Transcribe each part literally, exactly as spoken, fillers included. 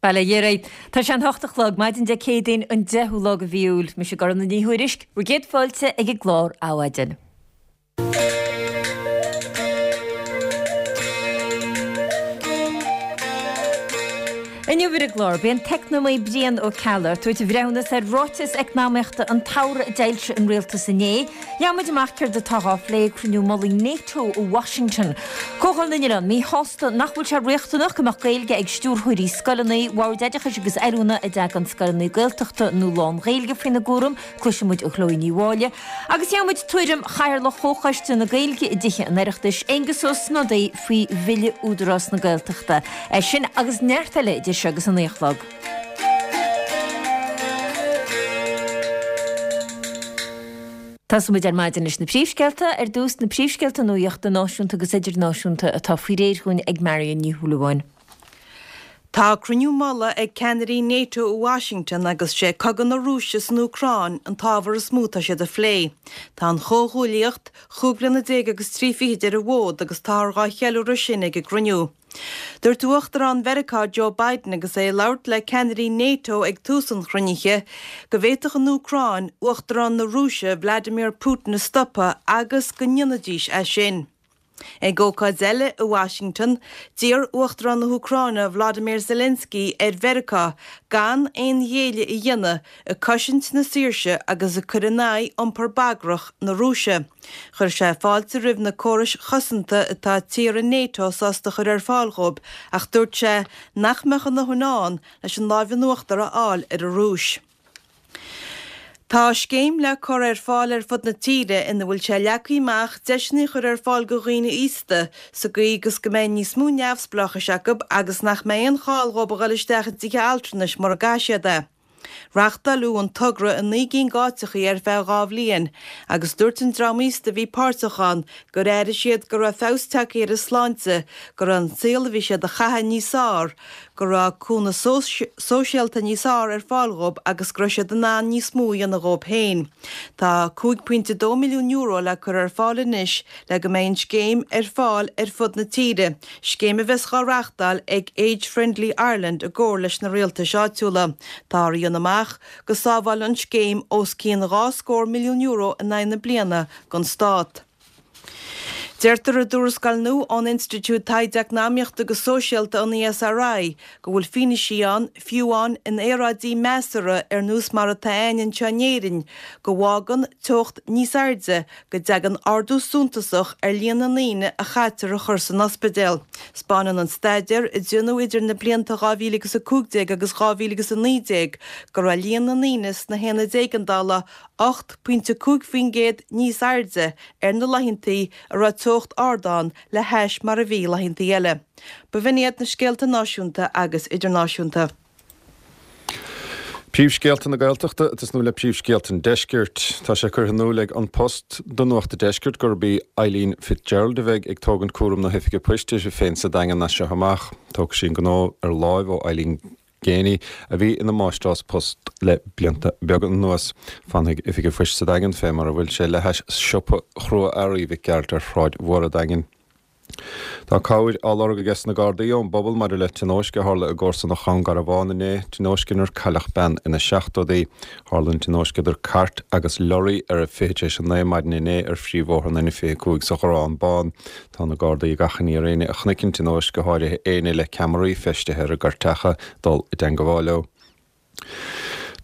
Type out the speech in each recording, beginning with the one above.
Bail ó Dhia oraibh. Tá sé an hocht a chlog, maidin Dé Céadaoin an deichiú lá de mhí Iúil. Mise Gormfhlaith Ní Thuairisg, bhur gcéad fáilte ag an gclár Adhmhaidin. Inniu ar an gclár, beidh an t-eacnamaí Brian Ó Ceallaigh ag tabhairt a bhreithiúnas ar ráiteas eacnamaíochta an tsamhraidh a d'fhoilsigh an rialtas inné. Gheobhaidh muid amach céard atá á phlé ag cruinniú mullaigh NATO i Washington. Comhdháil na nOileán míshásta nach bhfuil sé riachtanach go mbeadh Gaeilge ag stiúrthóirí scoileanna, Bord Oideachais agus Oiliúna a dtagann scoileanna Gaeltachta nó lán-Ghaeilge faoina gcúram, cloisfidh muid ó Chloe Ní Mháille. Agus gheobhaidh muid tuairim Chathaoirleach Chomhchoiste na Gaeilge i dTithe an Oireachtais, Aengus Ó Snodaigh, faoi Bhille Údarás na Gaeltachta. É sin agus neart eile idir seo agus a naoi a chlog. Tosóidh muid ar maidin leis na príomhscéalta, ar dtús na príomhscéalta nuachta náisiúnta agus idirnáisiúnta atá faoi réir dhúinn ag Marion Ní Shúilleabháin. Tá cruinniú mullaigh ag ceannairí NATO i Washington agus sé cogadh na Rúise san Úcráin an t-ábhar is mó atá siad a phlé. Tá an chomhghuaillíocht chúig bliana déag agus trí fichid ar an bhfód agus táthar dhá cheiliúradh sin ag an gcruinniú. Dúirt Uachtarán Mheiriceá Joe Biden agus é ag labhairt le ceannairí NATO ag tús an chruinnithe go bhféadfadh an Úcráin Uachtarán na Rúise Vladimir Putin a stopadh agus go ndéanfaidís é sin. Ag ócáid eile i Washington, d'iarr Uachtarán na hÚcráine Volodymyr Zelensky ar Mheiriceá gan aon ghéilleadh a dhéanamh ag cosaint na saoirse agus ag cur in aghaidh iompar bagrach na Rúise. Chuir sé fáilte roimh na córais chosanta atá tíortha NATO sásta a chur ar fáil dhóibh ach dúirt sé nach mbeadh a ndóthain ann leis an láimh in uachtar a fháil ar an Rúis. Tá scéim le cur ar fáil ar fud na tíre ina bhfuil sé leagtha amach deiseanna a chur ar fáil do dhaoine aosta sa gcaoi agus go mbeidh níos mó neamhspleáchais acu agus nach mbeidh aon chall dhóibh a dhul isteach i dtithe altranais mura gcaithfidh siad é. Reachtáileadh an togra i naoi gcinn d'áiteachaí ar feadh dhá bhliain agus dúirt an dream aosta a bhí páirteach ann gur airigh siad go raibh feabhas tagtha ar a sláinte, go raibh an saol a bhí siad a chaitheamh níos fearr, go raibh cúnamh sóisialta níos fearr ar fáil dhóibh agus go raibh siad in ann níos mó a dhéanamh dhóibh féin. Tá cúig pointe dó milliún euro le cur ar fáil anois le go mbeidh an scéim ar fáil ar fud na tíre, scéim a bheas dhá reachtáil ag Age Friendly Ireland i gcomhar leis na rialtais áitiúla. Táthar a dhéanamh amach go sábhálann an scéim os cionn dhá scór milliún euro in aghaidh na bliana don stát. Deirtear i dtuarascáil nua ón Institiúid Taighde Eacnamaíochta agus Sóisialta, an ESRI, go bhfuil fianaise ann, fiú amháin in aeráidí measartha ar nós mar atá againn anseo in Éirinn, go bhfágann teocht níos airde go dtagann ardú suntasach ar líon na ndaoine a chaitear a chur san ospidéal. 'Spáineann an staidéar, a déanadh idir na blianta dhá mhíle agus a cúig déag agus dhá mhíle agus a naoi déag, go raibh líon na ndaoine sna haonaid éigeandála ocht pointe cúig faoin gcéad níos airde ar na laethantaí a raibh teocht ard ann le hais mar a bhí laethantaí eile. B'in iad na scéalta náisiúnta agus idirnáisiúnta. Príomhscéalta na Gaeltachta ag tosnú le príomhscéalta an Deiscirt. Tá sé curtha in iúl ag An Post do Nuacht an Deiscirt gurb í Eileen Fitzgerald a bheidh ag tógaint cúram na hoifige poist uirthi féin sa Daingean as seo amach. Tógfaidh sí an gnó ar láimh ó Eileen Geaney, a bhí ina máistreás post le blianta beaga anuas. Fanfaidh Oifig an Phoist sa Daingean fé mar a bhfuil sé le hais siopa chrua-earraí Mhic Gearailt ar Shráid Mhór an Daingin. Tá cabhair á lorg aige sna Gardaí ón bpobal maidir le tionóisc a tharla i gcomharsanacht Dhún Garbhán inné, tionóisc inar cailleadh bean ina seachtóidí. Tharla an tionóisc idir cairt agus lorraí ar a fiche tar éis a naoi maidin inné ar phríomhbhóthar an N fiche a cúig sa Ghorrán Bán. Tá na Gardaí ag achainí ar éinne a chonaic an tionóisc, go háirithe éinne le ceamaraí feistithe ar a gcairteacha, dul i dteangabháil leo.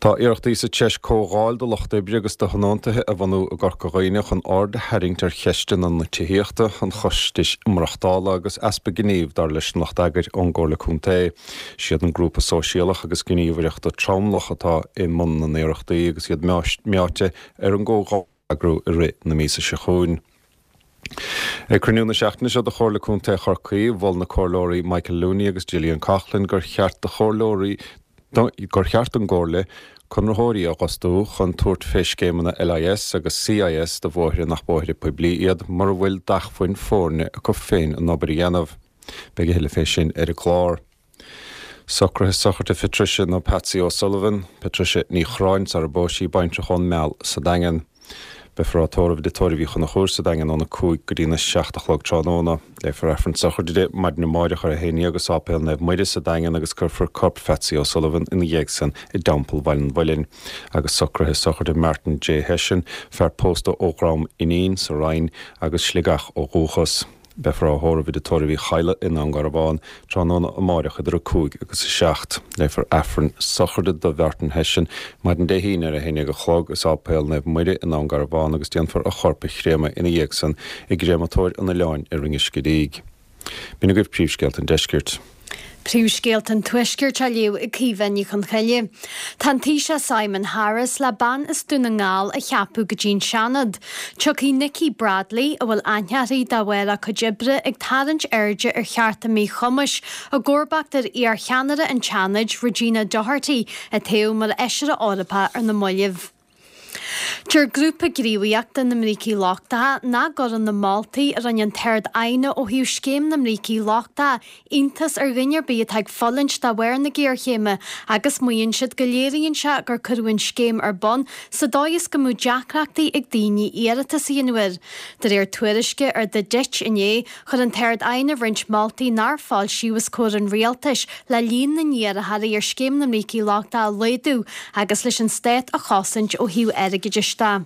Tá iarrachtaí sa treis comhdháil do lucht oibre agus do thionóntaithe a bhunú i gCorca Dhuibhne chun aird a tharraingt ar cheisteanna na tithíochta, an chostais maireachtála agus easpa gnímh, dar leis an lucht eagair ón gComhairle Contae. Siad an Grúpa Sóisialach agus Gníomhaireachta Tromlach atá i mbun na n-iarrachtaí agus iad meáite ar an gcomhdháil a eagrú i rith na míosa seo chugainn. Ag cruinniú na seachtaine seo de Chomhairle Contae Chorcaí, mhol na Comhairleoirí Michael Looney agus Gillian Coughlan gur cheart do chomhairleoirí gur cheart don gComhairle conraitheoirí a dh'fhostú chun tabhairt fé scéimeanna LIS agus CIS do bhóithre nach bóithre poiblí iad mura bhfuil d'acmhainn foirne acu féin an obair a dhéanamh. Beidh a thuilleadh fé sin ar an gclár. Socruithe sochraide Phatricia nó Patsy O'Sullivan, Patricia Ní Chorráin sara bpós sí, baintreach ón Meal sa Daingean. Beifear á tórramh i dTigh Tórraimh Uí Chonchúir sa Daingean óna cúig go dtína seacht a chlog tráthnóna. Léifear Aifreann sochraide di maidin amárach ar a haon déag i Sáipéal Naomh Muire sa Daingean agus cuirfear corp Phatsy O'Sullivan ina dhiaidh san i dTeampall Bhaile an Mhuilinn. Agus socruithe sochraide Martin J. Hession, fear pósta ó Dhrom Inín sa Rinn agus Sligeach ó dhúchas. Beifear á thórramh i dTigh Tórraimh Uí Chadhla i nDún Garbhán tráthnóna amárach idir a cúig agus a seacht. Léifear Aifreann sochraide do Mhartin Hession maidin Dé hAoine ar a haon déag a chlog i Sáipéal Naomh Muire i nDún Garbhán agus déanfar a chorp a chréamadh ina dhiaidh san i gcréamatóir an oileáin i Rinn Uisce Díg. B'in agaibh príomhscéalta an deiscirt. Príomhscéalta an Tuaiscirt á léamh ag Caoimhe Ní Chonchoille. Tá an Taoiseach Simon Harris le bean as Dún na nGall a cheapadh go dtí an Seanad. Tiocfaidh Nikki Bradley, a bhfuil aithne uirthi de bharr a cuid oibre ag tarraingt airde ar chearta míchumais, i gcomharbacht ar iarcheannaire an tSeanaid, Regina Doherty, a toghadh mar Fheisire Eorpach ar na mallaibh. Deir Grúpa Gníomhaíochta na mBrící Lochtacha nach gcuireann na moltaí a rinne an tArd-Aighne ó thaobh Scéim na mBrící Lochtacha iontas ar dhuine ar bith atá ag fulaingt de bharr na géarchéime agus maíonn siad go léiríonn sé gur cuireadh an scéim ar bun sa dóigh is go mbeadh deacrachtaí ag daoine iarratas a dhéanamh air. De réir tuairisce ar The Ditch inné, chuir an tArd-Aighne roinnt moltaí nár foilsíodh os comhair an rialtais le líon na n-iarrthóirí ar Scéim na mBrící Lochtacha a laghdú agus leis an stát a chosaint ó thaobh airgeadais de.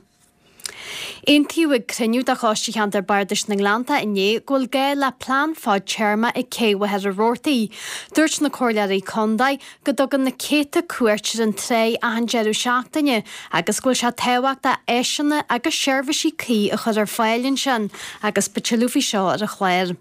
Aontaíodh ag cruinniú de Choiste Cheantar Bardais na nGleannta inné go bhfuil gá le plean fadtéarma ag Cé Mhachaire Rabhartaigh. Dúirt na Comhairleoirí Contae go dtugann na céadta cuairt ar an tráigh achan deireadh seachtaine agus go bhfuil sé tábhachtach áiseanna agus seirbhísí cuí a chur ar fáil ansin agus beidh tuilleadh faoi seo ar an chlár.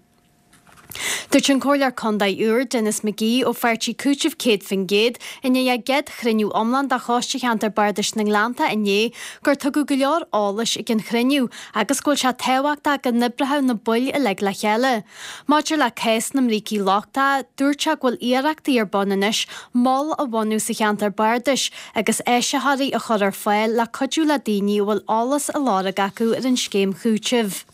Dúirt an Comhairleoir Contae úr, Denis McGee ó pháirtí Cúiteamh céad faoin gcéad, i ndiaidh a gcéad chruinniú iomlán de Choiste Cheantar Bardais na nGleannta inné gur tugadh go leor eolais ag an chruinniú agus go bhfuil sé tábhachtach go n-oibreodh na baill uilig le chéile. Maidir le cás na mbrící lochtacha, dúirt sé go bhfuil iarrachtaí ar bun anois mol a bhunú sa cheantar bardais agus áisitheoirí a chur ar fáil le cuidiú le daoine a bhfuil eolas á lorg acu ar an scéim chúitimh.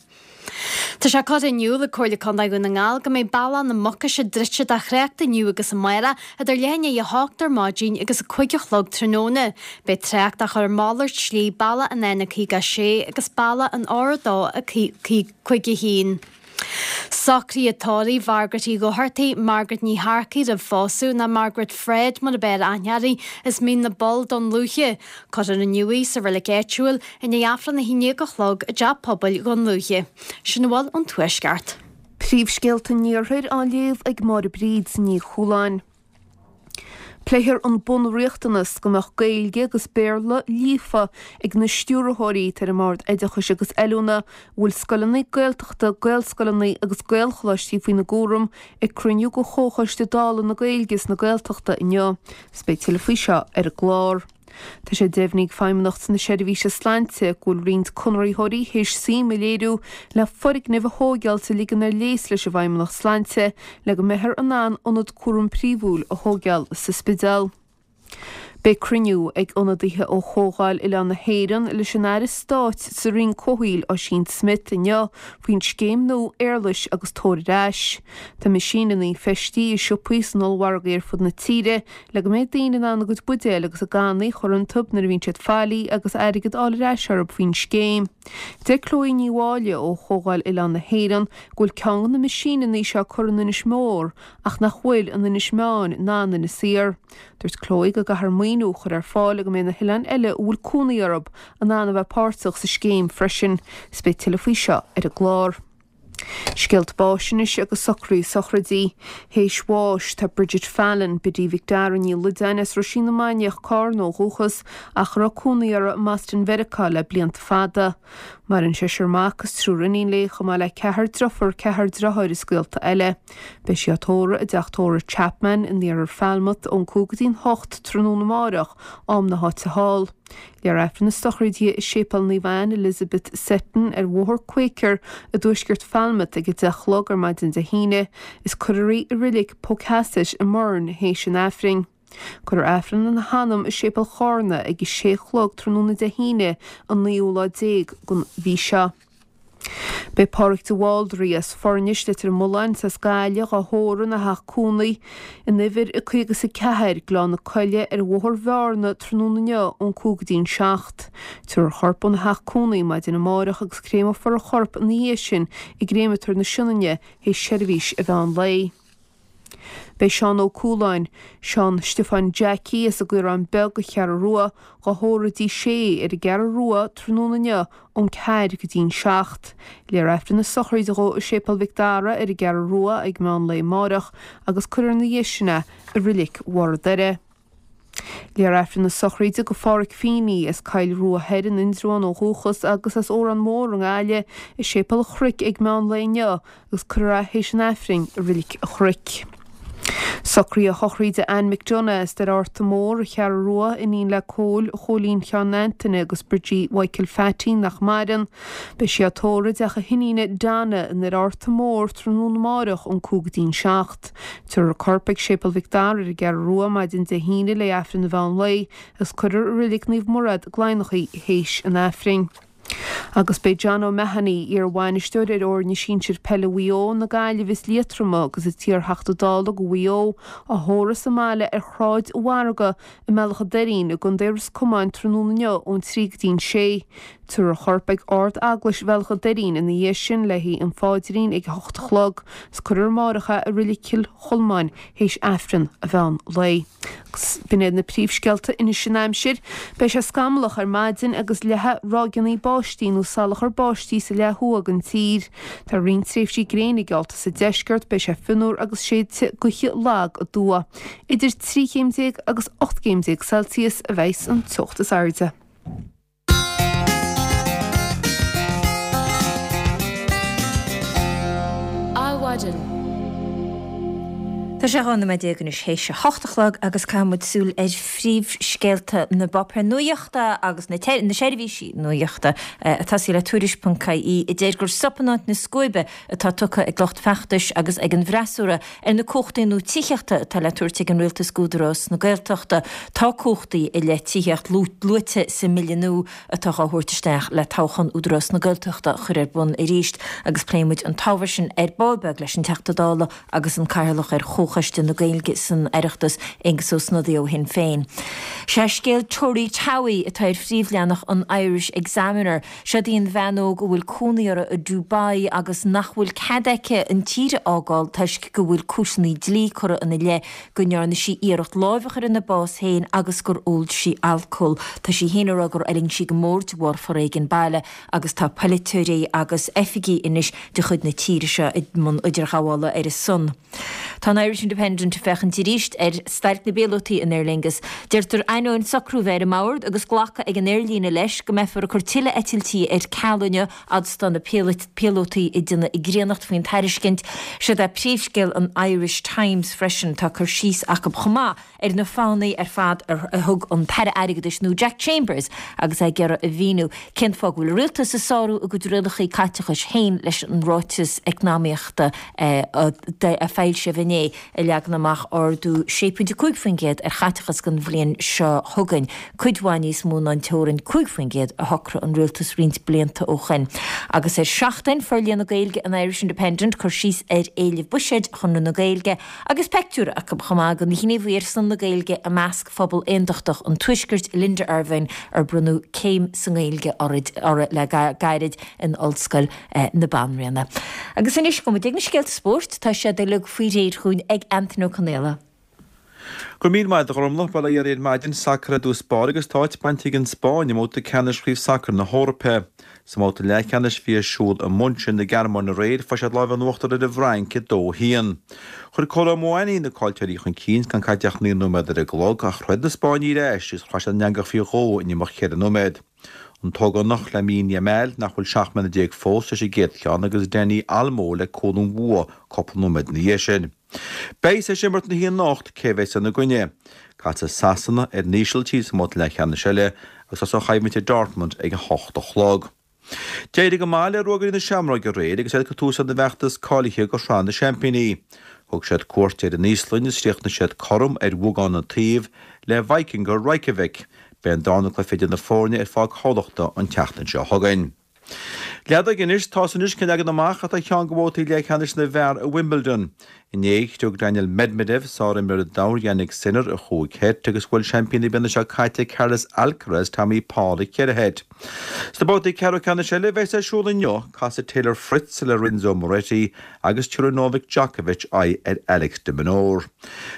Tá sé curtha in iúl ag Comhairle Contae Dhún na nGall go mbeidh Bealach na Mucaise druidte do thrácht inniu agus amárach idir leath i ndiaidh a hocht ar maidin agus a cúig a chlog tráthnóna. Beidh trácht á chur ar mhalairt slí bealach an N caoga a sé agus bealach an R a dó a cúig a haon. Socruithe tórraimh Mhargaret Uí Dhochartaigh, Margaret Ní Shearcaigh roimh phósadh, nó Margaret Fred mar ab fhearr aithne uirthi, as Mín na bPoll, Dún Lúiche. Cuirfear inniu í sa reilig áitiúil i ndiaidh Aifreann a haon déag a chlog i dTeach Pobail Dhún Lúiche. Sin a bhfuil ón Tuaisceart. Príomhscéalta an Iarthair á léamh ag Máire Bríd Ní Chualáin. Pléifear an bunriachtanas go mbeadh Gaeilge agus Béarla líofa ag na stiúrthóirí atá ar an mBord Oideachais agus Oiliúna a bhfuil scoileanna Gaeltachta, Gaelscoileanna agus Gaelcholáistí faoina gcúram ag cruinniú de Chomhchoiste Dála na Gaeilge is na Gaeltachta inniu. Is beidh tuilleadh faoi seo ar an gclár. Tá sé deimhnithe ag Feidhmeannacht na Seirbhíse Sláinte go bhfuil roinnt conraitheoirí théis suim a léiriú le foirgneamh a thóigeáilt a ligean ar léas leis an bhFeidhmeannacht Sláinte le go mbeifear in ann ionad cúraim príomhúil a thóigeáil sa Spidéal. Beidh cruinniú ag ionadaithe ó Chomhdháil Oileán na hÉireann leis an Aire Stáit sa Roinn Comhshaoil Ossian Smyth inniu faoin scéim nua Éarlais agus Tabhair Ar Ais. Tá meaisíneanna feistithe i siopaí is in ollmhargaí ar fud na tíre le go mbeidh daoine in ann a gcuid buidéal agus a gcannaí a chur iontu nuair a bhíonn siad faillí agus airgead a fháil ar ais orthu faoin scéim. Deir Chloe Ní Mháille ó Chomhdháil Oileán na hÉireann go bhfuil ceann de na meaisíneanna seo curtha in Inis Mór ach nach bhfuil in Inis Meáin ná in Inis Oírr. Dúirt Chloe go gcaithfear maoiniú a chur ar fáil le go mbeidh na hoileáin eile a bhfuil cónaí orthu in ann a bheith páirteach sa scéim freisin. Is beidh tuilleadh faoi seo ar an gclár. Scéalta báis anois agus socruithe sochraidí. Théis bháis tá Bridget Fallon, Biddy Mhic Dara Ní Loideáin as Roisín na Mainiach, Carna ó dhúchas ach a raibh cónaí uirthi i mBoston Mheiriceá le blianta fada. Maireann seisear mac is triúr iníon léi chomh maith le ceathrar driofúr, ceathrar deartháir is gaolta eile. Beidh sí á tórramh i dteach tórraimh Chapman in iarthar Falmouth ón cúig go dtí'n hocht tráthnóna amárach, am na háite thall. Léifear Aifreann na sochraide i Séipéal Naomh Anne Elizabeth Seton ar Bhóthar Quaker i dtuaisceart Falmouth ag a deich a chlog ar maidin Dé hAoine is cuirfear í i reilig Pocasset i mBourne théis an Aifrinn. Cuirfear Aifreann ina hanam i Séipéal Chárna ag a sé a chlog tráthnóna Dé hAoine an naoú lá déag den mhí seo. Beidh Pádraig de Bhaldraithe as Foirnis, Leitir Mealláin, is as Gaillimh dhá thórramh ina theach cónaí in uimhir a caoga is a ceathair, Gleann na Coille, ar Bhóthar Bhearna tráthnóna inniu ón cúig go dtí an seacht. Tabharfar a chorp óna theach cónaí maidin amárach agus créamfar a chorp ina dhiaidh sin i gcréamatóir na Sionainne théis seirbhís an mheán lae. Beidh Seán Ó Cualáin, Seán Stiofáin Jackie as an gCaorán Beag, An Cheathrú Rua, dhá thórramh i dTigh Sé ar an gCeathrú Rua tráthnóna inniu ón ceathair go dtí'n seacht. Léifear Aifreann na sochraide dhó i Séipéal Mhic Dara ar an gCeathrú Rua ag meán lae amáireach agus cuirfear ina dhiaidh sin é i Reilig Bharr an Doire. Léifear Aifreann na sochraide do Pháraic Feeney as Coill Rua Thoir in Indreabhán ó dhúchas agus as Órán Mór i nGaillimh i Séipéal an Chnoic ag meán lae inniu agus cuirfear é théis an Aifrinn i Reilig an Chnoic. Socruithe sochraide Anne McDonagh as Doire Fhearta Mór, An Cheathrú Rua, iníon le Cóil Chóilín Sheáin Antaine agus Bridgie Mhichael Phatty nach maireann. Beidh sí á tórramh i dteach a hiníne Donna i nDoire Fhearta Mór tráthnóna amáireach ón cúig go dtí'n seacht. Tabharfar a corp ag Séipéal Mhic Dara ar an gCeathrú Rua maidin Dé hAoine le Aifreann an mheán lae agus cuirfear i Reilig Naomh Murad, Gleann Lach í théis an Aifrinn. Agus beidh John O'Mahony, iar-bhainisteoir ar fhoirne sinsir peile Mhaigh Eo, na Gaillimhe is Liatroma agus an t-iar-Theachta Dála do Mhaigh Eo, á thórramh sa mbaile ar Shráid an Mhargaidh i mBealach an Doirín i gContae Ros Comáin tráthnóna inniu ón trí go dtí'n sé. Tabharfar a chorp ag Ard-Eaglais Bhealach an Doirín ina dhiaidh sin le haghaidh an phaidrín ag a hocht a chlog agus cuirfear amárach é i Reilig Chill Cholmáin théis Aifreann an mheán lae. Agus b'in iad na príomhscéalta anois an aimsir. Beidh sé scamallach ar maidin agus leathfaidh ráigeanna báistí nó salachar báistí sa leath thuaidh den tír. Tá roinnt tréimhsí gréine geallta sa deisceart, beidh sé fionnuar agus séidfidh gaoth lag aduaidh. Idir trí chéim déag agus ocht gcéim déag Celsius a bheas an teocht is airde. Adhmhaidin. Tá sé dhá nóiméad déag anois théis a hocht a chlog agus caithfidh muid súil ar phríomhscéalta na bpáipéar nuachta agus na na seirbhísí nuachta ag tosaí le Tuairisc ponc ie a deir gur sop in áit na scuaibe atá tugtha ag lucht feachtais agus ag an bhfreasúra ar na cumhachtaí nua tithíochta atá le tabhairt ag an Rialtas d'Údarás na Gaeltachta. Tá cumhachtaí i leith tithíocht luaite sa mbille nua atá á thabhairt isteach le toghchán Údarás na Gaeltachta a chur ar bun arís agus pléifidh muid an t-ábhar sin ar ball beag leis an Teachta Dála agus an Cathaoirleach ar Chomhchoiste na Gaeilge san Oireachtas, Aengus Ó Snodaigh ó Shinn Féin. Sé scéal Tori Towey atá ar phríomhleathanach an Irish Examiner. Seod í an bhean óg a bhfuil cónaí uirthi i Dubai agus nach bhfuil cead aici an tír a fhágáil toisc go bhfuil cúiseanna dlí curtha ina leith go ndearna sí iarracht lámh a chur ina bás féin agus gur ól sí alcól. Tá sí féin ag rá gur fhulaing sí go mór de bharr foréigean baile agus tá polaiteoirí agus oifigigh anois de chuid na tíre seo i mbun idirghabhála ar a son. Tá an Irish Independent ag féachaint arís ar stailc na bpíolótaí in Aer Lingus. Deirtear ainneoin socrú bheith ar an mbord agus glacadh ag an aerlíne leis go mbeifear ag cur tuilleadh eitiltí ar ceal inniu fhad is atá na píolótaí ag déanamh a gcríonnacht faoin tairiscint. Seod é príomhscéal an Irish Times freisin. Tá cur síos acu chomh maith ar na fáthanna ar fad a thug an tAire Airgeadais nua Jack Chambers agus é ag iarraidh a mhíniú cén fáth go bhfuil an rialtas ag sárú a gcuid rialacha caiteachais féin leis an ráiteas eacnamaíochta a foilsíodh inné a leagann amach ardú sé pointe cúig faoin gcéad ar chaiteachas don bhliain seo chugainn, cuid mhaith níos mó ná an teorainn cúig faoin gcéad a shocraigh an rialtas roinnt blianta ó shin. Agus ar Seachtain, Forlíonadh Gaeilge an Irish Independent cur síos ar éilimh buiséid Chonradh na Gaeilge agus peictiúr acu chomh maith den ghníomhaí ar son na Gaeilge i measc phobal aontachtach an Tuaiscirt, Linda Ervine, ar bronnadh céim sa nGaeilge uirthi le gairid in Ollscoil na Banríona. Agus anois go mbeidh na scéalta spóirt, tá siad uilig faoi réir chugainn ag Antaine Ó Conaola. Go raibh míle maith agat a Ghormfhlaith, bail ó Dhia oraibh ar maidin, sacar i dtús báire agus tá áit bainte ag an Spáinn i mbabhta ceannais Chraobh Sacair na hEorpa. Sa mbabhta leathcheannais a bhí ar siúl i München na Gearmáine aréir, fuair siad lámh in uachtar ar an bhFrainc a dó a haon. Chuir Kolo Muani na cáilteoirí chun cinn gan caite ach naoi nóiméad ar an gclog ach throid na Spáinnigh ar ais agus shroich siad an eangach faoi dhó in imeacht cheithre nóiméad. An t-ógánach Lamine Yamal, nach bhfuil seacht mbliana déag fós, leis an gcéad cheann agus Dani Olmo le cúl an bhua cúpla nóiméad ina dhiaidh sin. Beidh a fhios ag imirt na haon anocht cé a bheas ina gcoinne. Casfaidh Sasana ar an Ísiltír sa mbabhta leathcheannais eile agus tosóidh an choimhlint i Dortmund ag a hocht a chlog. D'éirigh go maith le Ruagairí na Seamróige aréir agus iad ag cur tús lena bhfeachtas cáilithe do Shraith na Seaimpíní. Thug siad cuairt ar an Íoslainn is chríochnaigh siad cothrom ar bheagán an taobh le Víkingur Reykjavik. Beidh an darna cluiche idir na foirne ar Pháirc Thamhlachta an tseachtain seo chugainn. Leadóg anois, tá 'fhios anois cén leagan amach atá ar cheann de bhabhtaí leathcheannais na bhfear i Wimbledon. Inné, chriog Daniil Medvedev, sárimreoir an domhain Jannik Sinner i chúig sheit agus bhuail seaimpín na bliana seo caite Carlos Alcaraz Tommy Paul i cheithre sheit. Sna babhtaí ceathrú ceannais eile a bheas ar siúl inniu, casfaidh Taylor Fritz le Lorenzo Musetti agus tabharfaidh Novak Djokovic aghaidh ar Alex de Minaur.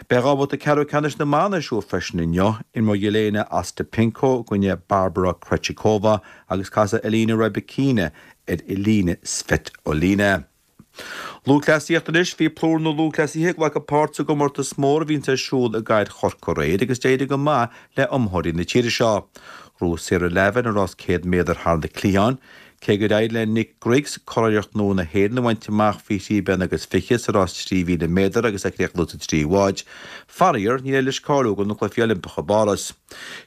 Beidh dhá bhabhta ceathrú ceannais na mban ar siúl freisin inniu, imreoidh Jelena Ostapenko i gcoinne Barbora Krejcikova agus casfaidh Elena Rybakina ar Elina Svitolina. Lúthchleasaíocht anois, bhí plúr na lúthchleasaithe ag glacadh páirt sa gcomórtas mór a bhíonns ar siúl i gcathair Chorcaí aréir agus d'éirigh go maith le iomaitheoirí na tíre seo. Ghnóthaigh Sarah Lavin an rás céad méadar thar na cliatháin, cé gur éirigh le Nick Griggs curiarracht nua na hÉireann a bhaint amach faoi thrí bliana agus fiche sa rás trí mhíle méadar agus é ag críochnú sa tríú háit. Faraor, níor éirigh leis cáiliú do na Cluichí Oilimpeacha i bPáras.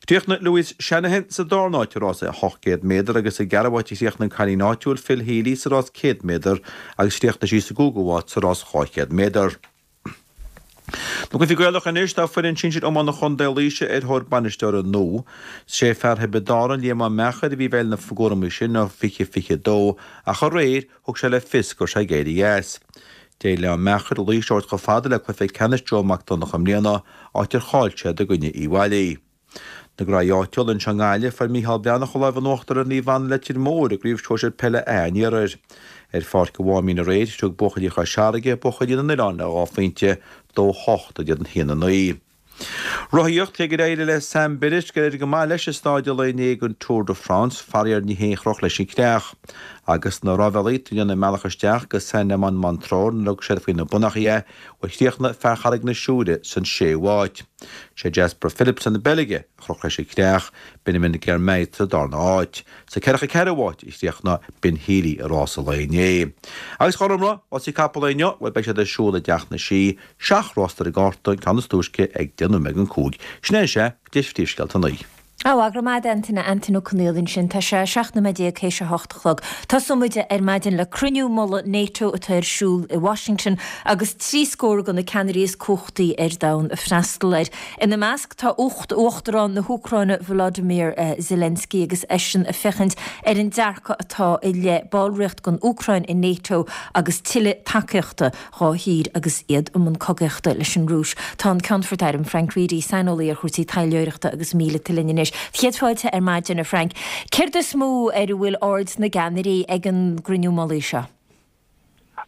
Chríochnaigh Louise Shanahan sa darna háit i rás ocht gcéad méadar agus sa gceathrú háit a chríochnaigh an cailín áitiúil Phil Healy sa rás céad méadar agus chríochnaigh sí sa gcúigiú háit sa rás dhá chéad méadar. Na cluichí Gaelacha anois, tá foireann sinsir iomána Chontae Laoise ar thóir bainisteora nua. Sé fear Thiobraid Árann, Liam Ó Meachair, a bhí i bhfeighil na gcúraimí sin ó fiche fiche dó ach aréir thug sé le fios go raibh sé ag éirí as. D'éirigh le Ó Meachair Laois a thabhairt chomh fada le cluiche ceannais Joe Mac Donncha i mbliana, áit ar chaill siad i gcoinne Uíbh Fhailí. Na graí áitiúla anseo i nGaillimh, fuair Micheál Breathnach an lámh in uachtar ar Naomh Anna Leitir Móir i gCraobh Shóisir Peile A an Iarthair. Ar Pháirc an Mháimín aréir, thug buachaillí Chois Fharraige buachaillí na nOileán le dhá phointe, dó hocht in éadan haon a naoi. Rothaíocht, Cé gur éirigh le Sam Bennett gur éirigh go maith leis i staid an lae inné den Tour de France, faraor ní hé a chroch leis an creach. Agus na rámhaillí ag déanamh a mbealach isteach go Saint-Amand-Montrond nuair a thug siad faoi na bonnachaí é, bhuel chríochnaigh fear Charraig na Siúire san séú háit. Sé Jasper Philipsen na Beilge a chroch leis an creach, Biniam Girmay sa darna háit. Sa ceathracha ceathrú háit a chríochnaigh Ben Healy i rás an lae inné. Agus a Ghormfhlaith, rásaí capall inniu, bhuel beidh siad ar siúl i dTeach na Sí, seacht rás ar an gcárta, an ceann is túisce ag deich nóiméad don cúig. Sin é sea, deis phríomhscéalta an lae. Á, go raibh maith agat Antaine, Antaine Ó Conghaile ansin. Tá sé seacht nóiméad déag théis a hocht a chlog. Tosóidh muid ar maidin le cruinniú mullaigh NATO atá ar siúl i Washington agus trí scór de na ceannairí is cumhachtaí ar domhan ag freastal air. Ina measc tá Uachtarán na hÚcráine Volodymyr Zelensky agus eisean ag féachaint ar an dearcadh atá i leith ballraíocht don Úcráin i NATO agus tuilleadh tacaíochta dhá thír agus iad i mbun cogaíochta leis an Rúis. Tá an Ceannfort Airm Frank Reidy, saineolaí ar chúrsaí taidhleoireachta agus míleata linn anois. Céad fáilte ar maidin a Frank. Céard is mó ar a bhfuil aird na gceannairí ag an gcruinniú mullaigh seo?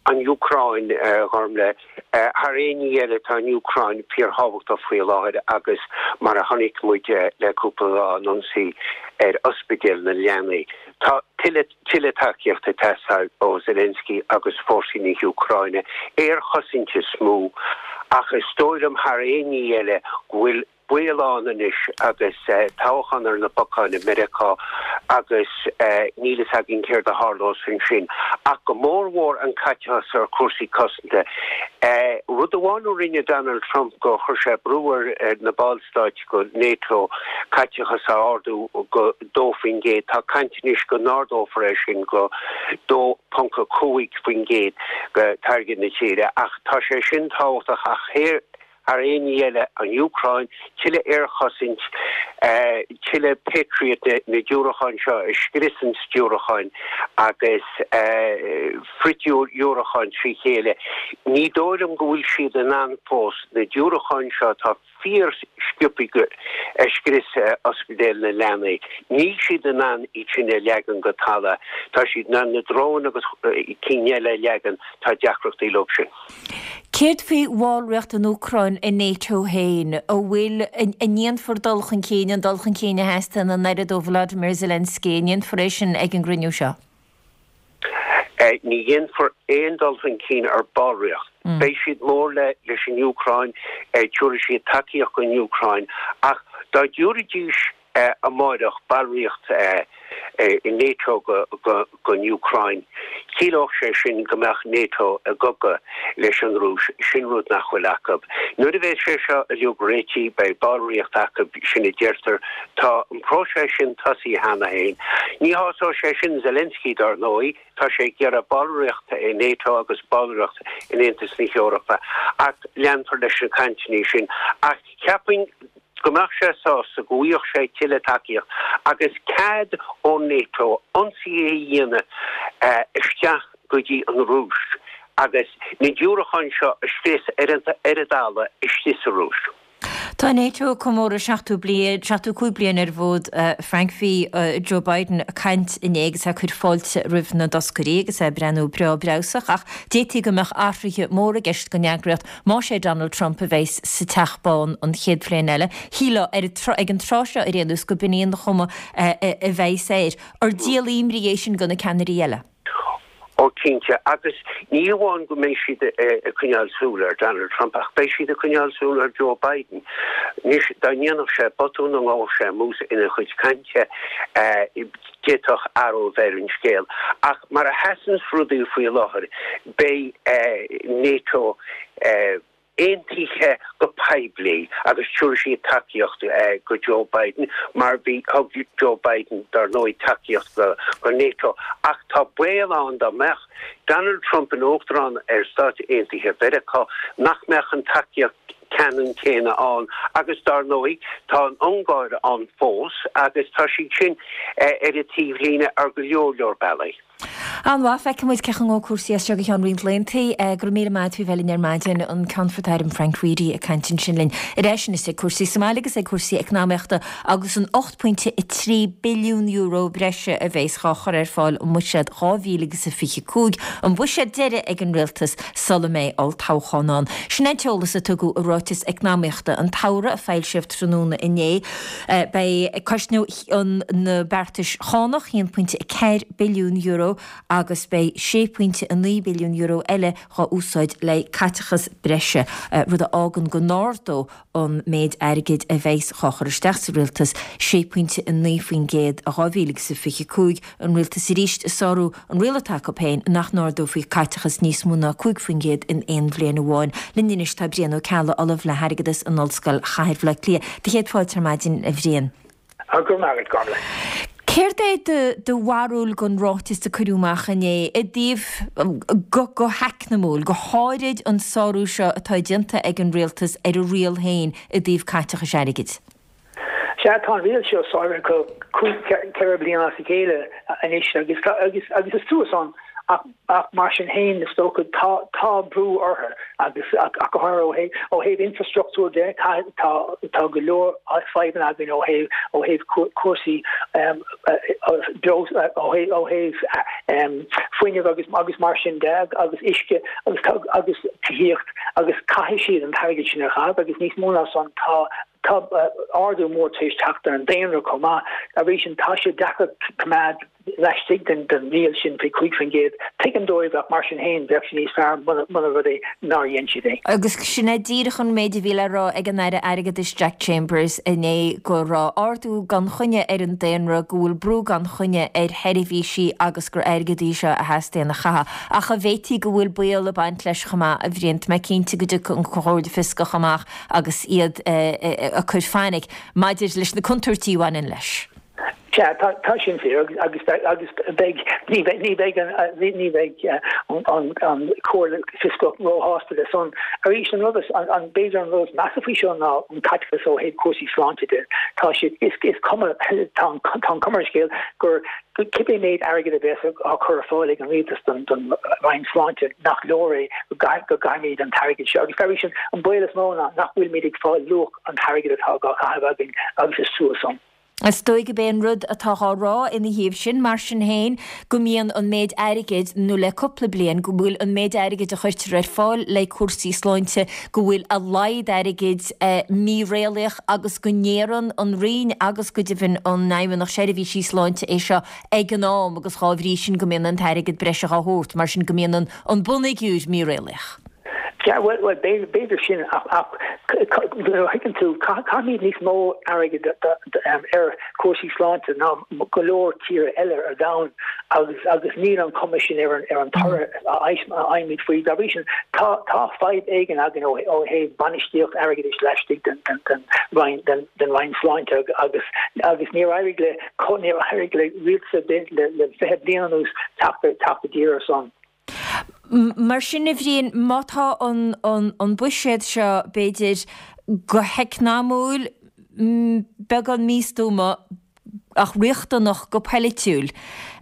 An Úcráin, a Ghormfhlaith. Thar aon ní eile tá an Úcráin fíorthábhachtach faoi láthair agus mar a chonaic muid le cúpla lá an ionsaí ar ospidéal na leanaí. Tá tuilleadh tuilleadh tacaíochta ag teastáil ó Zelensky agus fórsaí na hÚcráine, aerchosaint is mó, ach is dóigh liom thar aon ní eile go bhfuil baol ann anois agus toghchán ar na bacáin i Meiriceá agus níl fhios againn céard a tharlós ansin. Ach go mórmhór an caiteachas ar chúrsaí cosanta. Rud amháin a rinne Donald Trump gur chuir sé brú ar na ballstáit go NATO caiteachas a ardú go dó faoin gcéad. Tá caint anois go n-ardófar é sin go dó ponc a cúig faoin gcéad de táirgeadh na tíre. Ach tá sé sin tábhachtach ach thar aon ní eile, an Úcráin, tuilleadh aerchosaint, tuilleadh Patriot, na diúracáin seo a scriosann diúracáin agus frithdhiúracáin trí chéile. Ní dóigh liom go bhfuil siad in ann fós na diúracáin seo atá fíorsciobtha a scrios ospidéal na leanaí, níl siad in ann iad sin a leagan go talamh. Tá siad in ann na dróin agus cinn eile a leagan, tá deacrachtaí leo sin. Céard faoi bhallraíocht an Úcráin i NATO féin? An bhfuil, an ndéanfar dul chun cinn, an dul chun cinn a theastaíonn an oiread ó Volodymyr Zelensky, an ndéanfar é sin ag an gcruinniú seo? Ní dhéanfar aon dul chun cinn ar ballraíocht. Beidh siad mór le leis an Úcráin, tabharfaidh siad tacaíocht don Úcráin, ach dá dtabharfaidís amáireach ballraíocht i NATO don Úcráin, chiallódh sé sin go mbeadh NATO i gcogadh leis an Rúis, sin rud nach bhfuil acu. Nuair a bheidh sé seo uilig réitithe, beidh ballraíocht acu, sin a deirtear. Tá an próiseas sin tosaithe cheana féin. Ní shásóidh sé sin Zelensky, dar ndóigh, tá sé ag iarraidh ballraíocht i NATO agus ballraíocht in Aontas na hEorpa, ach leanfar leis na cainteanna sin. Ach cheapfainn go mbeadh sé sásta go bhfaigheadh sé tuilleadh tacaíocht agus cead ó NATO ionsaí a dhéanamh isteach go dtí an Rúis agus na diúracáin seo a scrios ar an dtalamh istigh sa Rúis. Tá NATO ag comóradh seachtó bliain, seachtó cúig bliain ar an bhfód. Frank, bhí Joe Biden ag caint inné agus é ag cur fáilte roimh na dtoscairí agus é ag breathnú breá breabhsach ach d'fhéadfaí go mbeadh athruithe móra i gceist don eagraíocht más é Donald Trump a bheas sa Teach Bán an chéad bhliain eile. Shílfeá ar ag an tráth seo ar aon nós go b'in í an chuma a bheas air. Ar díol imní é sin do na ceannairí eile? Ó cinnte, agus ní amháin go mbeidh siad ag coinneáil súil ar Donald Trump ach beidh siad ag coinneáil súil ar Joe Biden. Anois, dá ndéanfadh sé botún nó ngabhfadh sé amú ina chuid cainte, d'fhéadfadh athrú a bheith ar an scéal. Ach mar a sheasanns rudaí faoi láthair, beidh NATO aontaithe go poiblí agus tabharfaidh siad tacaíocht go Joe Biden mar bhí, thug Joe Biden dar ndóigh tacaíocht go go NATO ach tá baol ann dá mbeadh Donald Trump ina Uachtarán ar Stáit Aontaithe Mheiriceá nach mbeadh an tacaíocht ceannann céanna ann agus dar ndóigh tá an Ungáir ann fós agus tá siad sin ar an taobhlíne ar go leor leor bealaí. An-mhaith, feicfidh muid cén chaoi a ngabhfaidh cúrsaí as seo go ceann roinnt laethanta. Go raibh míle maith agat faoi bheith linn ar maidin, an Ceannfort Airm Frank Reidy ag caint ansin linn. Ar ais anois ag cúrsaí sa mbaile agus ag cúrsaí eacnamaíochta agus an ocht pointe a trí billiún euro breise a bheas dhá chur ar fáil i mbuiséad dhá mhíle agus a fiche cúig, an buiséad deiridh ag an rialtas sula mbeidh olltoghchán ann. Sin é an t-eolas a tugadh i ráiteas eacnamaíochta an tsamhraidh a foilsíodh tráthnóna inné. Beidh cosnóidh na beartais chánach a haon pointe a ceathair billiún euro agus beidh sé pointe a naoi billiún euro eile dhá úsáid le caiteachas breise, rud a fhágann go n-ardóidh an méid airgid a bheas dhá chur isteach sa rialtas sé pointe a naoi faoin gcéad i dhá mhíle agus a fiche cúig, an rialtas arís ag sárú an riail atá acu féin nach n-ardófaí caiteachas níos mó ná cúig faoin gcéad in aon bhliain amháin. Linn anois tá Brian Ó Ceallaigh, Ollamh le hAirgeadas in Ollscoil Chathair Bhaile Átha Cliath. Do chéad fáilte ar maidin, a Bhriain. Go raibh maith agat, Gormlaith. Céard é do bharúil den ráiteas a cuireadh amach inné i dtaobh, go heacnamúil, go háirid an sárú seo atá déanta ag an rialtas ar a riail féin i dtaobh caiteachais airgid? Sea, tá an riail seo sáraithe acu cúig, ceithre bliana as a chéile anois agus agus agus is trua san ach ach mar sin féin is dócha tá tá brú orthu agus ach go háirithe ó thaobh ó thaobh infrastruchtúr de tá tá go leor fadhbanna againn ó thaobh ó thaobh cúrsaí beo ó thaobh ó thaobh fuinnimh agus agus mar sin de agus uisce agus agus tithíocht agus caithfidh siad an t-airgead sin a chaitheamh agus níos mó ná san tá Tá ardú mór tar éis teacht ar an daonra chomh maith. Arís, tá sé deacair coimeád laistigh den riail sin faoi cúig faoin gcéad. Tuigim dóibh ach mar sin féin, bheadh sé níos fearr muna rud é nár dhein siad é. Agus sin é díreach an méid a bhí le rá ag an Aire Airgeadais Jack Chambers inné, go raibh ardú gan choinne ar an daonra, go bhfuil brú gan choinne ar sheirbhísí agus gur airgead í seo a theastaíonn a chaitheamh. Ach an bhféadfaí go bhfuil baol ag baint leis chomh maith, a Bhriain? Tá mé cinnte go dtiocfaidh an Chomhairle Fioscach amach agus iad ag cur fainic maidir leis na contúirtí a bhaineann leis. Sea, tá sin fíor agus agus beidh, ní bheidh, ní bheidh an, ní bheidh an an Chomhairle Fioscach róshásta le san. Arís, an rud is, an, b'fhéidir an rud is measa faoi seo ná an caiteachas ó thaobh cúrsaí sláinte de. Tá siad, is, is cuma, tá an, tá an cuma ar an scéal gur cibé méid airgid a bheas á chur ar fáil ag an rialtas don Roinn Sláinte, nach leor é, go gcaithfimid an t-airgead seo. Agus arís, an baol is mó ná nach bhfuilimid ag fáil luach an t-airgid atá á chaitheamh againn agus is trua san. Is dóigh gurb é an rud atá á rá ina thaobh sin, mar sin féin, go mbíonn an méid airgid, nó le cúpla bliain, go bhfuil an méid airgid a chuirtear ar fáil le cúrsaí sláinte, go bhfuil a laghad airgid míréalaíoch agus go n-iarrann an Roinn agus go deimhin an Fheidhmeannacht Seirbhísí Sláinte é seo ag an am agus dhá bhrí sin go mbíonn an t-airgead breise dhá thabhairt, mar sin go mbíonn an bunfhigiúr míréalaíoch. Sea, bhuel, bhuel, b'fhéidir sin ach, ach nuair a thuigeann tú, caithfimid níos mó airgid ar chúrsaí sláinte ná go leor tíortha eile ar domhan agus agus níl an chuma sin ar an ar an toradh a fhaighimid faoi. Dá bhrí sin, tá tá fadhb éigin againn ó ó thaobh bainistíocht airgeadais laistigh den den den Roinn den den Roinn Sláinte agus agus níor éirigh le níor éirigh le rialtas ar bith le le fiche bliain anuas teacht teacht i dtír ar son. Mar sin, a Bhriain, má tá an an an buiséad seo, b'fhéidir, go heacnamúil, beagán místuama ach riachtanach go polaitiúil.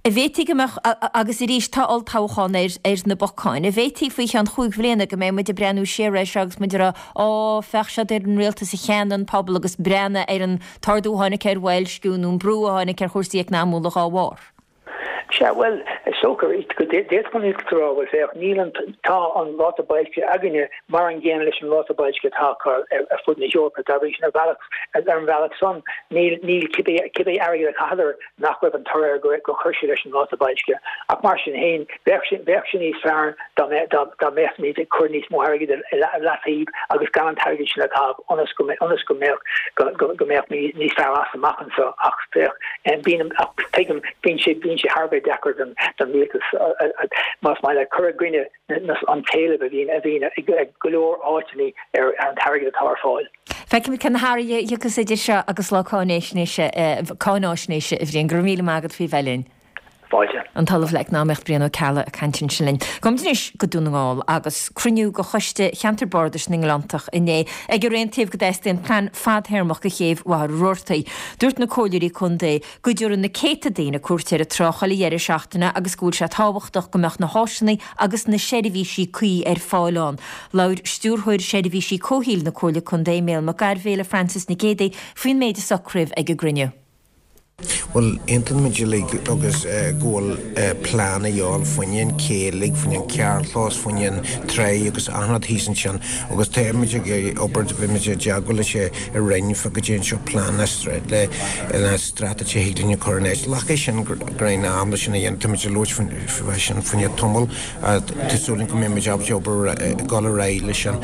An bhféadfaí go mbeadh, agus arís tá olltoghchán ar ar na bacáin, an bhféadfaí faoi cheann chúig bhliana go mbeidh muid ag breathnú siar air seo agus muid ag rá, Ó, féach siad ar an rialtas a cheannaigh an pobal agus breathnaigh ar an t-ardú a tháinig ar bhoilsciú nó an brú a tháinig ar chúrsaí eacnamúla dhá bharr. Sea, bhuel, is dócha go d'fhéadfadh an rialtas a rá, bhuel, féach, níl an, tá an ráta boilscithe againne mar an gcéanna leis an ráta boilscithe atá acu ar fud na hEorpa. Dá bhrí sin, ar bhealach, ar an bhealach san, níl, níl cibé, cibé airgead a chaitheadar, nach raibh an toradh air go, gur chuir sé leis an ráta boilscithe. Ach mar sin féin, bheadh sé, bheadh sé níos fearr dá mbeadh, dá, dá mbeadh muid ag cur níos mó airgid i leataobh agus gan an t-airgead sin a chaitheamh ionas go, ionas go mbeadh, go, go, go mbeadh níos fearr as amach anseo. Ach féach, bíonn, ach tuigim, bíonn sé, bíonn sé thar a bheith deacair don, don rialtas, más maith leat, cur i gcoinne an t-éileamh a bhíonn, a bhíonn ag go leor áiteanna ar, ar an t-airgead atá ar fáil. Feicfimid cé na hathruithe a thiocfas idir seo agus lá cáináisnéise, cáináisnéise, a Bhriain. Go raibh míle maith agat faoi bheith linn. Fáilte. An tOllamh le Eacnamaíocht Brian Ó Ceallaigh ag caint ansin linn. Gabhaimid anois go Dún na nGall agus cruinniú de Choiste Cheantar Bardais na nGleanntach inné ag ar aontaíodh go dteastaíonn plean fadthéarmach do chéibh Mhachaire Rabhartaigh. Dúirt na comhairleoirí contae go dtabharann na céadta daoine cuairt ar an trá chuile dheireadh seachtaine agus go bhfuil sé tábhachtach go mbeadh na háiseanna agus na seirbhísí cuí ar fáil ann. Labhair Stiúrthóir Seirbhísí Comhshaoil na Comhairle Contae, Mícheál Mac Gairbhéile, le Frances Nic Géadaigh faoin méid a socraíodh ag an gcruinniú. Bhuel, aontaíonn muid uilig agus go bhfuil plean a dhíobháil fá choinne an ché uilig, fá choinne an carrchlós, fá choinne an tráigh agus achan rud thíos ansin agus tá muid ag obair, bhí muid i dteagmháil leis an Roinn fá goidé an seo plean le le straitéis a thig linn a chur in áit. Glacfaidh sin greim am leis sin a dhéanamh, tá muid ag labhairt fá sin fá choinne tamall tá súil againn go mbeidh muid ábalta obair ag dul ar aghaidh leis sin.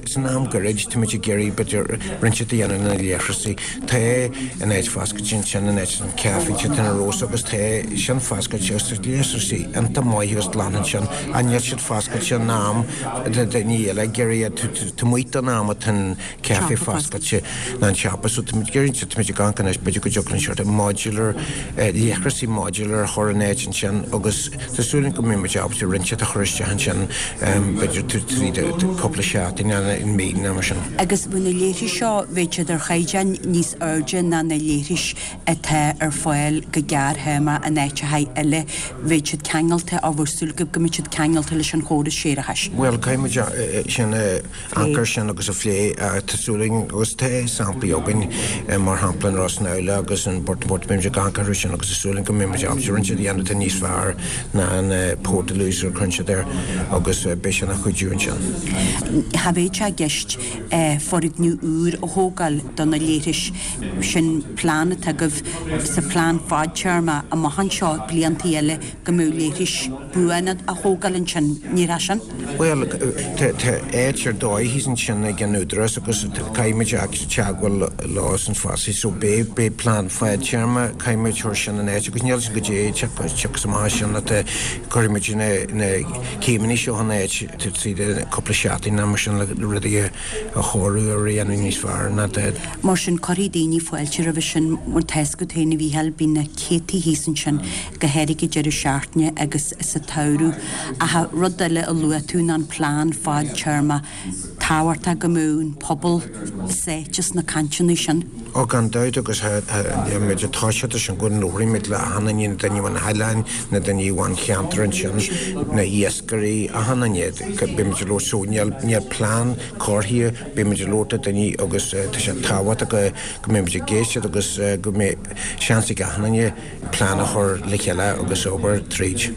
San am gairid, tá muid ag iarraidh b'fhéidir roinnt a dhéanamh na leithreasaí. Tá an áit foscailte ansin, an áit an caife tá na Rós agus tá sin foscailte agus tá leithreasaí iontach maith agus glan ansin ach níl siad foscailte in am do daoine eile ag iarraidh iad taobh amuigh den am atá an caife foscailte ná an siopa so tá muid ag iarraidh tá muid ag amharc anois b'fhéidir go dtiocfadh linn sort modular leithreasaí modular a chur in áit ansin agus tá súil againn go mbeidh muid ábalta roinnt a chur isteach ansin b'fhéidir tríd cúpla seachtain nó mí nó mar sin. Agus bhí na leithris seo, bheadh siad ar chaighdeán níos airde ná na leithris atá ar fáil go gearrthéarma in áiteacha eile. Bheadh siad ceangailte, á bhfuil súil agaibh go mbeidh siad ceangailte leis an chóras séarachais. Bhuel, caithfidh muid sin a amharc air sin agus a phlé. Tá súil againn, agus tá samplaí againn, mar shampla in Ros na agus in Burtonport, beidh muid ag amharc orthu sin agus tá súil againn go mbeidh muid ábalta roinnt a dhéanamh atá níos fearr ná an portaloos a chuireann siad air agus beidh sin ina chuidiú ansin. Cha bheadh sé i gceist foirgneamh úr a thógáil do na leithris, sin plean atá agaibh sa phlean fadtéarma amach anseo, bliantaí eile, go mbeadh leithris buana á thógáil ansin, ní hea sin? Bhuel, tá áit ar dóigh thíos ansin ag an Údarás agus caithfidh muid teagmháil leo san fosta so beidh beidh plean fadtéarma, caithfidh muid chur sin in áit agus níl sin go dtí tiocfaidh amach sin atá cuirfidh muid na céimeanna seo in áit tríd cúpla seachtain nó mar sin le rudaí a chóiriú a dhéanamh níos fearr ná atá. Mar sin, cuirfidh daoine fáilte roimhe sin mar tá a fhios agat féin a Mhícheáil, bíonn na céadtaí thíos ansin, go háirithe deireadh seachtaine agus sa tsamhradh. Ach rud eile a luaigh tú ná an plean fadtéarma. Tábhachtach go mbeadh an pobal sáite sna cainteanna sin. Ó gan dabht agus muid ag toiseacht sin go labhróidh muid le achan duine, na daoine ón oileán, na daoine ón cheantar ansin, na hiascairí, achan duine, beidh muid ag labhairt so níl níl plean curtha, beidh muid ag labhairt le daoine agus tá sé tábhachtach go go mbeidh muid ag éisteacht agus go mbeidh seans ag achan duine plean a chur le chéile agus obair tríd.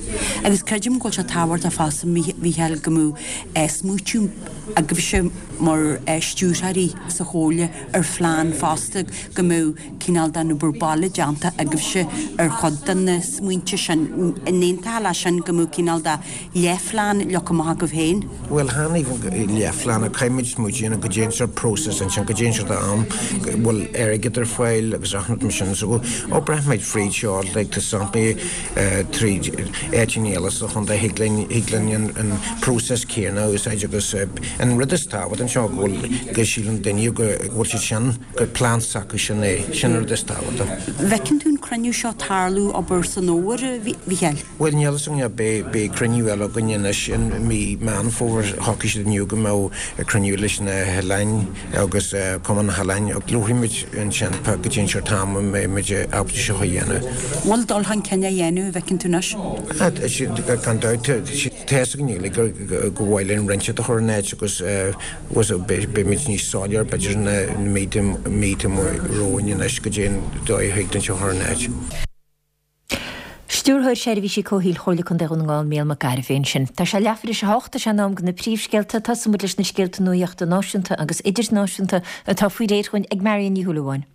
Agus creidim go bhfuil sé tábhachtach fosta, a Mhícheáil, go mbeadh smaoitiú agaibhse mar stiúrthóirí sa Chomhairle ar phlean fosta, go mbeadh cineál den obair baile déanta agaibhse ar chuid de na smaointe sin. An aontófá leis sin, go mbeadh cineál de leathphlean leagtha amach agaibh féin? Bhuel, chan even leathphlean, ach caithfidh muid smaoitiú you know, goidé an sort process ansin, goidé an sort am, go bhfuil airgead ar fáil agus achan rud mar sin. So, ó, braithfidh muid fríd seo, like, tá samplaí tríd áiteanna eile sa chontae, thig linn, thig linn an, an process céanna a úsáid agus an rud is tábhachtaí anseo go bhfuil, go síleann duine go bhfuil siad sin, gur plean s'acu sin é, sin an rud is tábhachtaí. Bhfeiceann tú an cruinniú seo tarlú abair san fhómhar, a Mhícheáil? Bhuel, níl a fhios againn, beidh, beidh cruinniú eile againn anois i mí Meán Fómhair. Shocraigh siad inniu go mbeadh cruinniú leis na hoileáin agus Cumann na hOileáin. Labharfaidh muid ansin go dtí an seort am a mbeidh muid ábalta seo a dhéanamh. Bhfuil dul chun cinn á dhéanamh, an bhfeiceann tú anois? Gan dabht, tá a fhios againn uilig go mhaith linn roinnt a chur in áit agus beidh muid níos soiléir b'fhéidir na míonna romhainn anois go dtí an dóigh a thig linn seo a chur in áit. Stiúrthóir Seirbhísí Comhshaoil Chomhairle Contae Dhún na nGall, Mícheál Mac Gairbheith ansin. Tá sé leathuair tar éis a hocht, tá sé in am do na príomhscéalta. Tosóidh muid leis na scéalta nuachta náisiúnta agus idirnáisiúnta atá faoi réir dhúinn ag Marion Ní Shúilleabháin.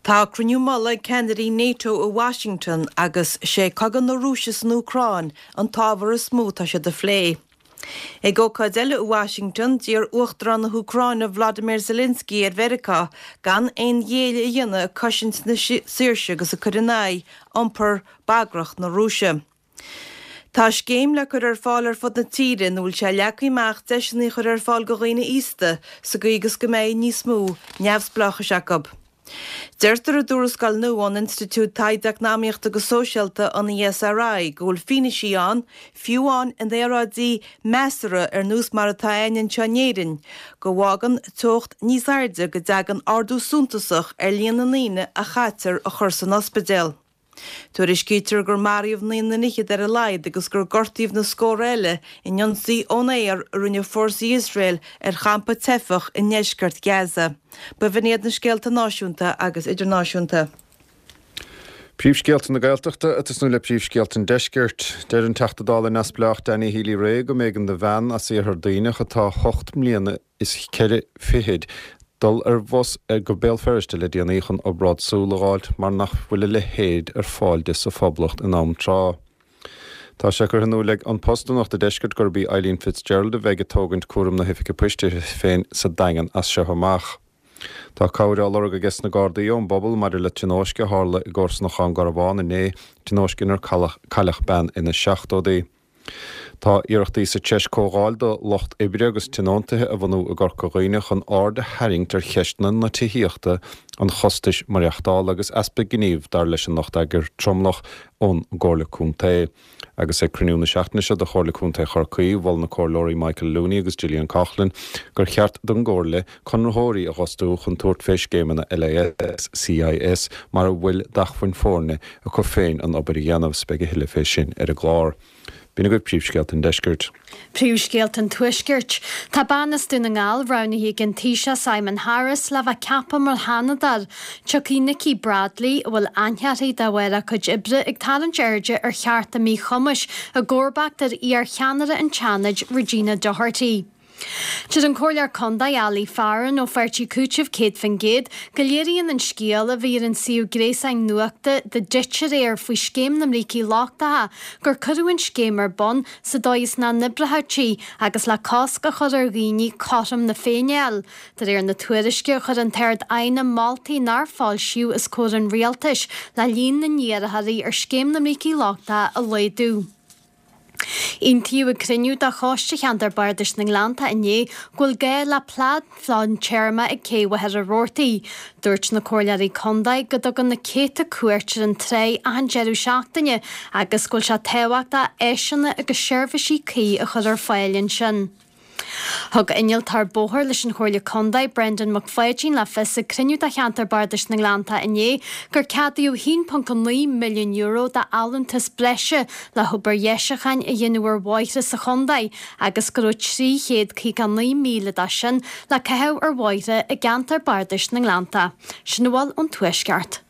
Tá cruinniú mullaigh ag ceannairí NATO i Washington agus sé cogadh na Rúise san Úcráin an t-ábhar is mó atá siad a phlé. Ag ócáid eile i Washington, d'iarr Uachtarán na hÚcráine Vladimir Zelensky ar Mheiriceá gan aon ghéilleadh a dhéanamh ag cosaint na saoirse agus ag cur in aghaidh iompar bagrach na Rúise. Tá scéim le cur ar fáil ar fud na tíre ina bhfuil sé leagtha amach deiseanna a chur ar fáil do dhaoine aosta sa gcaoi agus go mbeidh níos mó neamhspleáchais acu. Deirtear i dtuarascáil nua ón Institiúid Taighde Eacnamaíochta agus Sóisialta, an ESRI, go bhfuil fianaise ann, fiú amháin in aeráidí measartha ar nós mar atá againn anseo in Éirinn, go bhfágann teocht níos airde go dtagann ardú suntasach ar líon na ndaoine a chaitear a chur san ospidéal. Tuairiscítear gur maraíodh naoi nduine fhichead ar a laghad agus gur gortaíodh na scórtha eile in ionsaí ón aer a rinne fórsaí Iosrael ar champa teifeach i ndeisceart Gaza. B'in iad na scéalta náisiúnta agus idirnáisiúnta. Príomhscéalta na Gaeltachta ag tosnú le príomhscéalta an Deiscirt. Deir an Teachta Dála neamhspleách Danny Healy-Rae go mb'éigean do bhean as Iarthar Duibhneach atá ocht mbliana is ceithre fichid dul ar bhus go Béal Feirste le déanaí chun obráid súl a dh'fháilt mar nach bhfuil a leithéid ar fáil di sa Phoblacht in am tráth. Tá sé curtha in iúl ag An Post do Nuacht an Deiscirt gurb í Eileen Fitzgerald a bheidh ag tógaint cúram na hoifige poist uirthi féin sa Daingean as seo amach. Tá cabhair á lorg ages na Gardaí ón bpobal maidir le tionóisc a tharla i gcomharsanacht Dhún Garbhán inné, tionóisc inar cailleadh bean ina seachtóidí. Tá iarrachtaí sa treis comhdháil do lucht oibre agus tionóntaithe a bhunú i gCorca Dhuibhne chun aird a tharraingt ar cheisteanna na tithíochta, an chostais maireachtála agus easpa gnímh dar leis an lucht eagair tromlach ón gComhairle Contae. Agus ag cruinniú na seachtaine seo de Chomhairle Contae Chorcaí, mhol na Comhairleoirí Michael Looney agus Gillian Coughlan gur cheart don gComhairle conraitheoirí a dh'fhostú chun tabhairt fé scéimeanna LIS, CIS mar a bhfuil d'acmhainn foirne acu féin an obair a dhéanamh. Beidh a thuilleadh fé sin ar an gclár. B'in agaibh príomhscéalta an Deiscirt. Príomhscéalta an Tuaiscirt. Tá bean as Dún na nGall roghnaithe ag an Taoiseach Simon Harris le bheith ceaptha mar Sheanadóir. Tiocfaidh Nikki Bradley, a bhfuil aithne uirthi de bharr a cuid oibre ag tarraingt airde ar chearta míchumais, i gcomharbacht ar iar-cheannaire an tSeanaid, Regina Doherty. Deir an Comhairleoir Contae Ali Farren ó Pháirtí Cúitimh céad faoin gcéad go léiríonn an scéal a bhí ar an suíomh gréasáin nuachta The Ditch aréir faoi scéim na mbrící lochtacha gur cuireadh an scéim ar bun sa dóigh is nach n-oibreodh sí agus le cosc a chur ar dhaoine cothrom na Féinne a fháil. De réir na tuairisce chuir an tArd-Aighne moltaí nár foilsíodh os comhair an rialtais le líon na n-iarrthóirí ar scéim na mbrící lochtacha a laghdú. Aontaíodh ag cruinniú de Choiste Cheantar Bardais na nGleannta inné go bhfuil gá le plean fadtéarma ag Cé Mhachaire Rabhartaigh. Dúirt na comhairleoirí contae go dtugann na céadta cuairt ar an tráigh achan deireadh seachtaine agus go bhfuil sé tábhachtach áiseanna agus seirbhísí cuí a chur ar fáil ansin. Thug Innealtóir Bóthair leis an Chomhairle Contae, Brendan Mac Pháidín le fios ag cruinniú de Cheantar Bardais na nGleannta inné gur ceadaíodh a haon ponc a naoi milliún euro d'allúntas breise le hobair dheisiúcháin a dhéanamh ar bhóithre sa chontae agus go raibh trí chéad caoga a naoi míle de sin le caitheamh ar bhóithre i gCeantar Bardais na nGleannta. Sin a bhfuil ón Tuaisceart.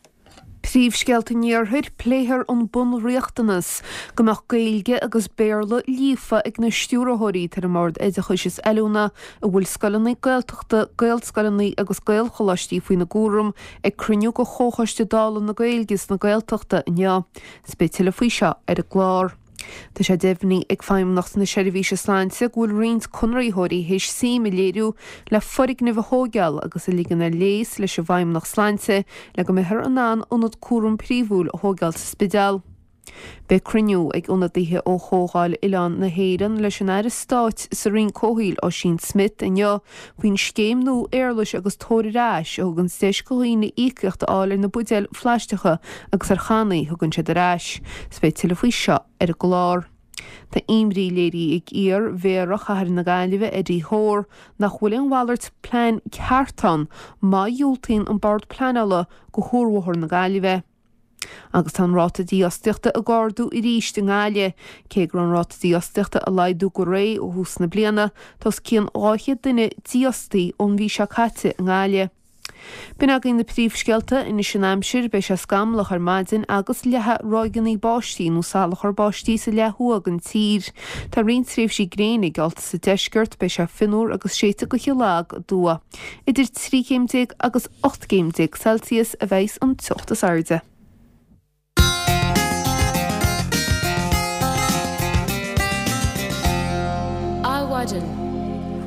Príomhscéalta an Iarthair, Pléifear an bunriachtanas go mbeadh Gaeilge agus Béarla líofa ag na stiúrthóirí atá ar an mBord Oideachais is Oiliúna a bhfuil scoileanna Gaeltachta, Gaelscoileanna agus Gaelcholáistí faoina gcúram ag cruinniú de Chomhchoiste Dála na Gaeilge is na Gaeltachta inniu. Is beidh tuilleadh faoi seo ar an gclár. Tá sé deimhnithe ag Feidhmeannacht na Seirbhíse Sláinte go bhfuil roinnt conraitheoirí théis suim a léiriú le foirgnimh a thóigeáil agus a ligean ar léas leis an bhFeidhmeannacht Sláinte le go mbeifear in ann ionad cúram príomhúil a thóigeáil sa Spidéal. Beidh cruinniú ag ionadaithe ó Chomhdháil Oileán na hÉireann leis an Aire Stáit sa Roinn Comhshaoil Ossian Smyth inniu faoin scéim nua éarlais agus tabhair ar ais a thugann deis do dhaoine íocaíocht a fháil ar na buidéil phlaisteacha agus ar channaí a thugann siad ar ais. Is beidh tuilleadh faoi seo ar an gclár. Tá imní léirithe ag iar-mhéara chathair na Gaillimhe Eddie Hoare nach bhfuil aon mhalairt plean ceart ann má dhiúltaíonn an Bord Pleanála do Chuarbhóthar na Gaillimhe. Agus tá an ráta dífhostaíochta ag ardú arís i nGaillimh. Cé go raibh an ráta dífhostaíochta ag laghdú go réidh ó thús na bliana, tá os cionn dhá chéad duine dífhostaithe ón mhí seo caite i nGaillimh. B'in againn na príomhscéalta, anois an aimsir, beidh sé scamallach ar maidin agus leathfaidh ráigeanna báistí nó salachar báistí sa leath thuaidh den tír. Tá roinnt tréimhsí gréine geallta sa deisceart, beidh sé fionnuar agus séidfidh gaoth lag aduaidh. Idir trí chéim déag agus ocht gcéim déag Celsius a bheidh an teocht is airde. Adhmhaidin.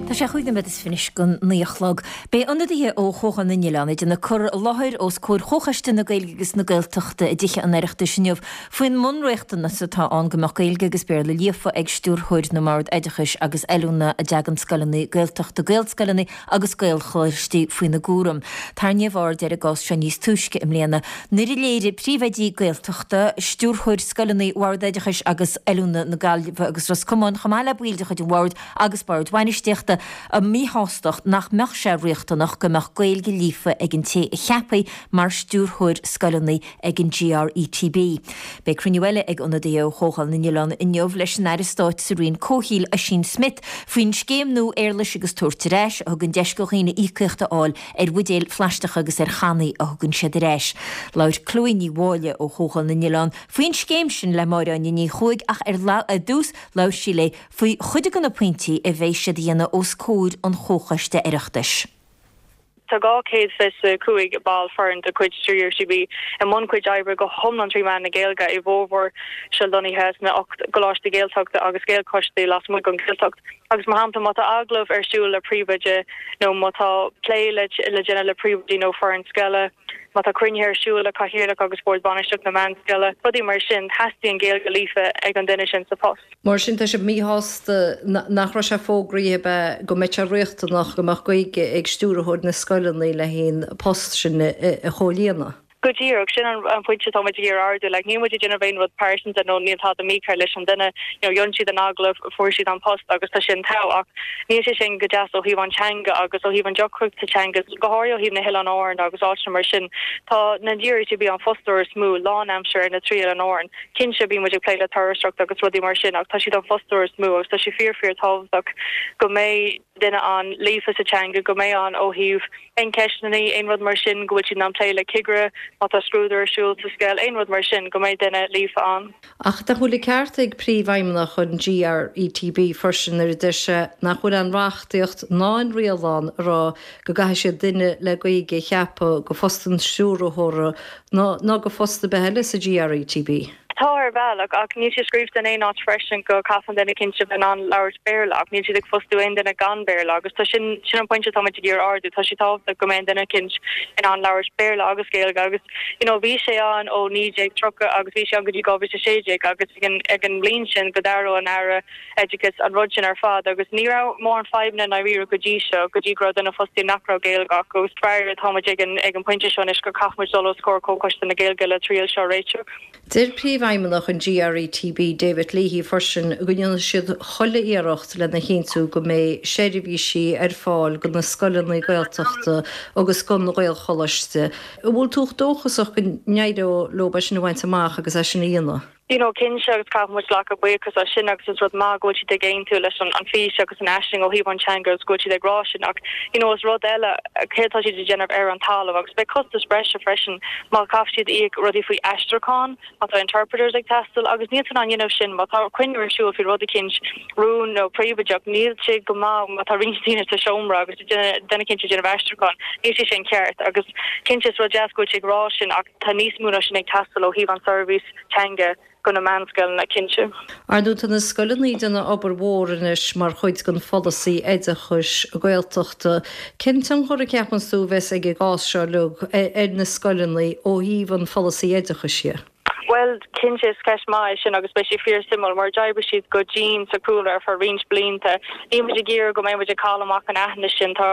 Tá sé chúig nóiméad is fiche anois don naoi a chlog. Beidh ionadaithe ó Chomhdháil na nOileán ag déanamh cur i láthair os comhair Chomhchoiste na Gaeilge agus na Gaeltachta i dTithe an Oireachtais inniu faoin mbunriachtanas atá ann go mbeadh Gaeilge agus Béarla líofa ag stiúrthóir na mBord Oideachais agus Oiliúna a dtagann scoileanna Gaeltachta, Gaelscoileanna agus Gaelcholáistí faoina gcúram. Tarraingíodh aird ar an gcás seo níos túisce i mbliana nuair a léirigh príomhoidí Gaeltachta, stiúrthóirí scoileanna Bhord Oideachais agus Oiliúna na Gaillimhe agus Ros Comáin chomh maith le baill de chuid an Bhoird agus Boird Bhainistíochta, a míshástacht nach mbeadh sé riachtanach go mbeadh Gaeilge líofa ag an té a cheapfaí mar stiúrthóir scoileanna ag an GRETB. Beidh cruinniú eile ag ionadaithe ó Chomhdháil na nOileán inniu leis an Aire Stáit sa Roinn Comhshaoil, Ossian Smyth, faoin scéim nua éarlais agus tabhairt ar ais a thugann deis do dhaoine íocaíocht a fháil ar bhuidéil phlaisteacha agus ar channaí a thugann siad ar ais. Labhair Chloe Ní Mháille ó Chomhdháil na nOileán faoin scéim sin le Máire Áine Ní Chuaig ach ar dtús labhair sí léi faoi chuid de na pointí a bheidh siad a dhéanamh os comhair an Chomhchoiste Oireachtais. Tá dhá chéad fiche a cúig ball foireann de chuid GRETB i mbun cuid oibre go hiomlán trí mheán na Gaeilge i bhformhór seo lonnaithe sna ocht gcoláiste Gaeltachta agus Gaelcholáistí lasmuigh den Ghaeltacht. Agus mar shampla má tá agallamh ar siúl le príomhoide nó má tá plé le déanamh le príomhoidí nó foireann scoile, má tá cruinnithe ar siúl le cathaoirleach agus bord bainistíochta na meánscoile, rudaí mar sin, teastaíonn Gaeilge líofa ag an duine sin sa post. Mar sin, tá sibh míshásta nach raibh sé fógraithe ab ea go mbeadh sé riachtanach go mbeadh Gaeilge ag stiúrthóir na scoileanna le haghaidh an post sin a chomhlíonadh? Go díreach, sin an pointe atá muid ag iarraidh ardú. Like, níl muid ag déanamh aon rud pearsanta nó níl tada mícheart leis an duine. You know, dhein siad an agallamh, fuair siad an post agus tá sin togha. Ach níl sé sin go deas ó thaobh an teanga agus ó thaobh an deacrachta teanga, go háirithe ó thaobh na hOileáin Árann agus áiteanna mar sin. Tá na GRETB an fostóir is mó lánaimseartha ar na trí Oileán Árann. Cinnte, bíonn muid ag plé le turasóireacht agus rudaí mar sin ach tá siad an fostóir is mó agus tá sé fíor fíor tábhachtach go mbeidh duine ann líofa sa teanga, go mbeidh ann ó thaobh aon cheisteanna, aon rud mar sin, go bhfuil siad in ann plé le cigire má tá scrúdú ar siúl sa scoil, aon rud mar sin, go mbeidh duine líofa ann. Ach nach bhfuil an ceart ag Príomhfheidhmeannach an GRETB freisin nuair a deir sé nach bhfuil aon reachtaíocht ná aon riail ann a rá go gcaithfidh siad duine le Gaeilge a cheapadh go phost an stiúrthóra ná go phost ar bith eile sa GRETB? Tá ar bhealach, ach níl sé scríofa in aon áit freisin go gcaithfidh an duine cinnte bheith in ann labhairt Béarla, ach níl siad ag fostú aon duine gan Béarla agus tá sin, sin an pointe atá muid ag iarraidh ardú, tá sé tábhachtach go mbeidh an duine cinnte in ann labhairt Béarla agus Gaeilge agus you know bhí sé ann ó naoi déag tríocha agus bhí sé ann go dtí dhá mhíle a sé déag agus ag an, ag an mbliain sin go d'athraigh an Aire Oideachais an rud sin ar fad agus ní raibh mórán fadhbanna i ndáiríre go dtí seo, go dtí go raibh duine fostaithe nach raibh Gaeilge acu agus faraor tá muid ag an, ag an pointe seo anois go caithfidh muid dul os comhair Comhchoiste na Gaeilge le triail seo a réiteach. Deir Príomhfheidhmeannach an GRETB, David Leahy, freisin go ndéanfaidh siad chuile iarracht lena chinntiú go mbeidh seirbhísí ar fáil do na scoileanna Gaeltachta agus don Ghaelcholáiste. An bhfuil tú dóchasach go n-éireoidh leo é sin a bhaint amach agus é sin a dhéanamh? You know, cinnte agus caithfidh muid glacadh buíochas as sin agus is rud maith go bhfuil siad ag aontú leis an an fís agus an aisling ó thaobh an teanga agus go bhfuil siad ag rá sin ach you know is rud eile céard atá siad ag déanamh ar an talamh agus beidh costas breise freisin má chaithfidh siad íoc rudaí faoi aistriúchán má tá interpreters ag teastáil agus níl tú in ann dhéanamh sin má tá cruinniú ar siúl faoi rud eicínt rún nó príobháideach níl sé go maith má tá roinnt daoine sa seomra agus duine eicínt ag déanamh aistriúchán níl sé sin ceart agus cinnte is rud deas go bhfuil sé ag rá sin ach tá níos mó ná sin ag teastáil ó thaobh an seirbhís teanga go na meánscoileanna cinnte. Ar ndóigh tá na scoileanna ag déanamh obair mhór anois mar chuid den pholasaí oideachais Gaeltachta. Cén tionchar a cheapann tú a bheas ag an gcás seo uilig ar na scoileanna ó thaobh an pholasaí oideachais dhe? Bhuel, Bhuel, cinnte is ceist maith é sin agus beidh sé fíor-suimiúil mar d'oibrigh siad go dian sa Chúlra ar feadh roinnt blianta. Níl muid ag iarraidh go mbeidh muid ag cailleadh amach an aithne sin. Tá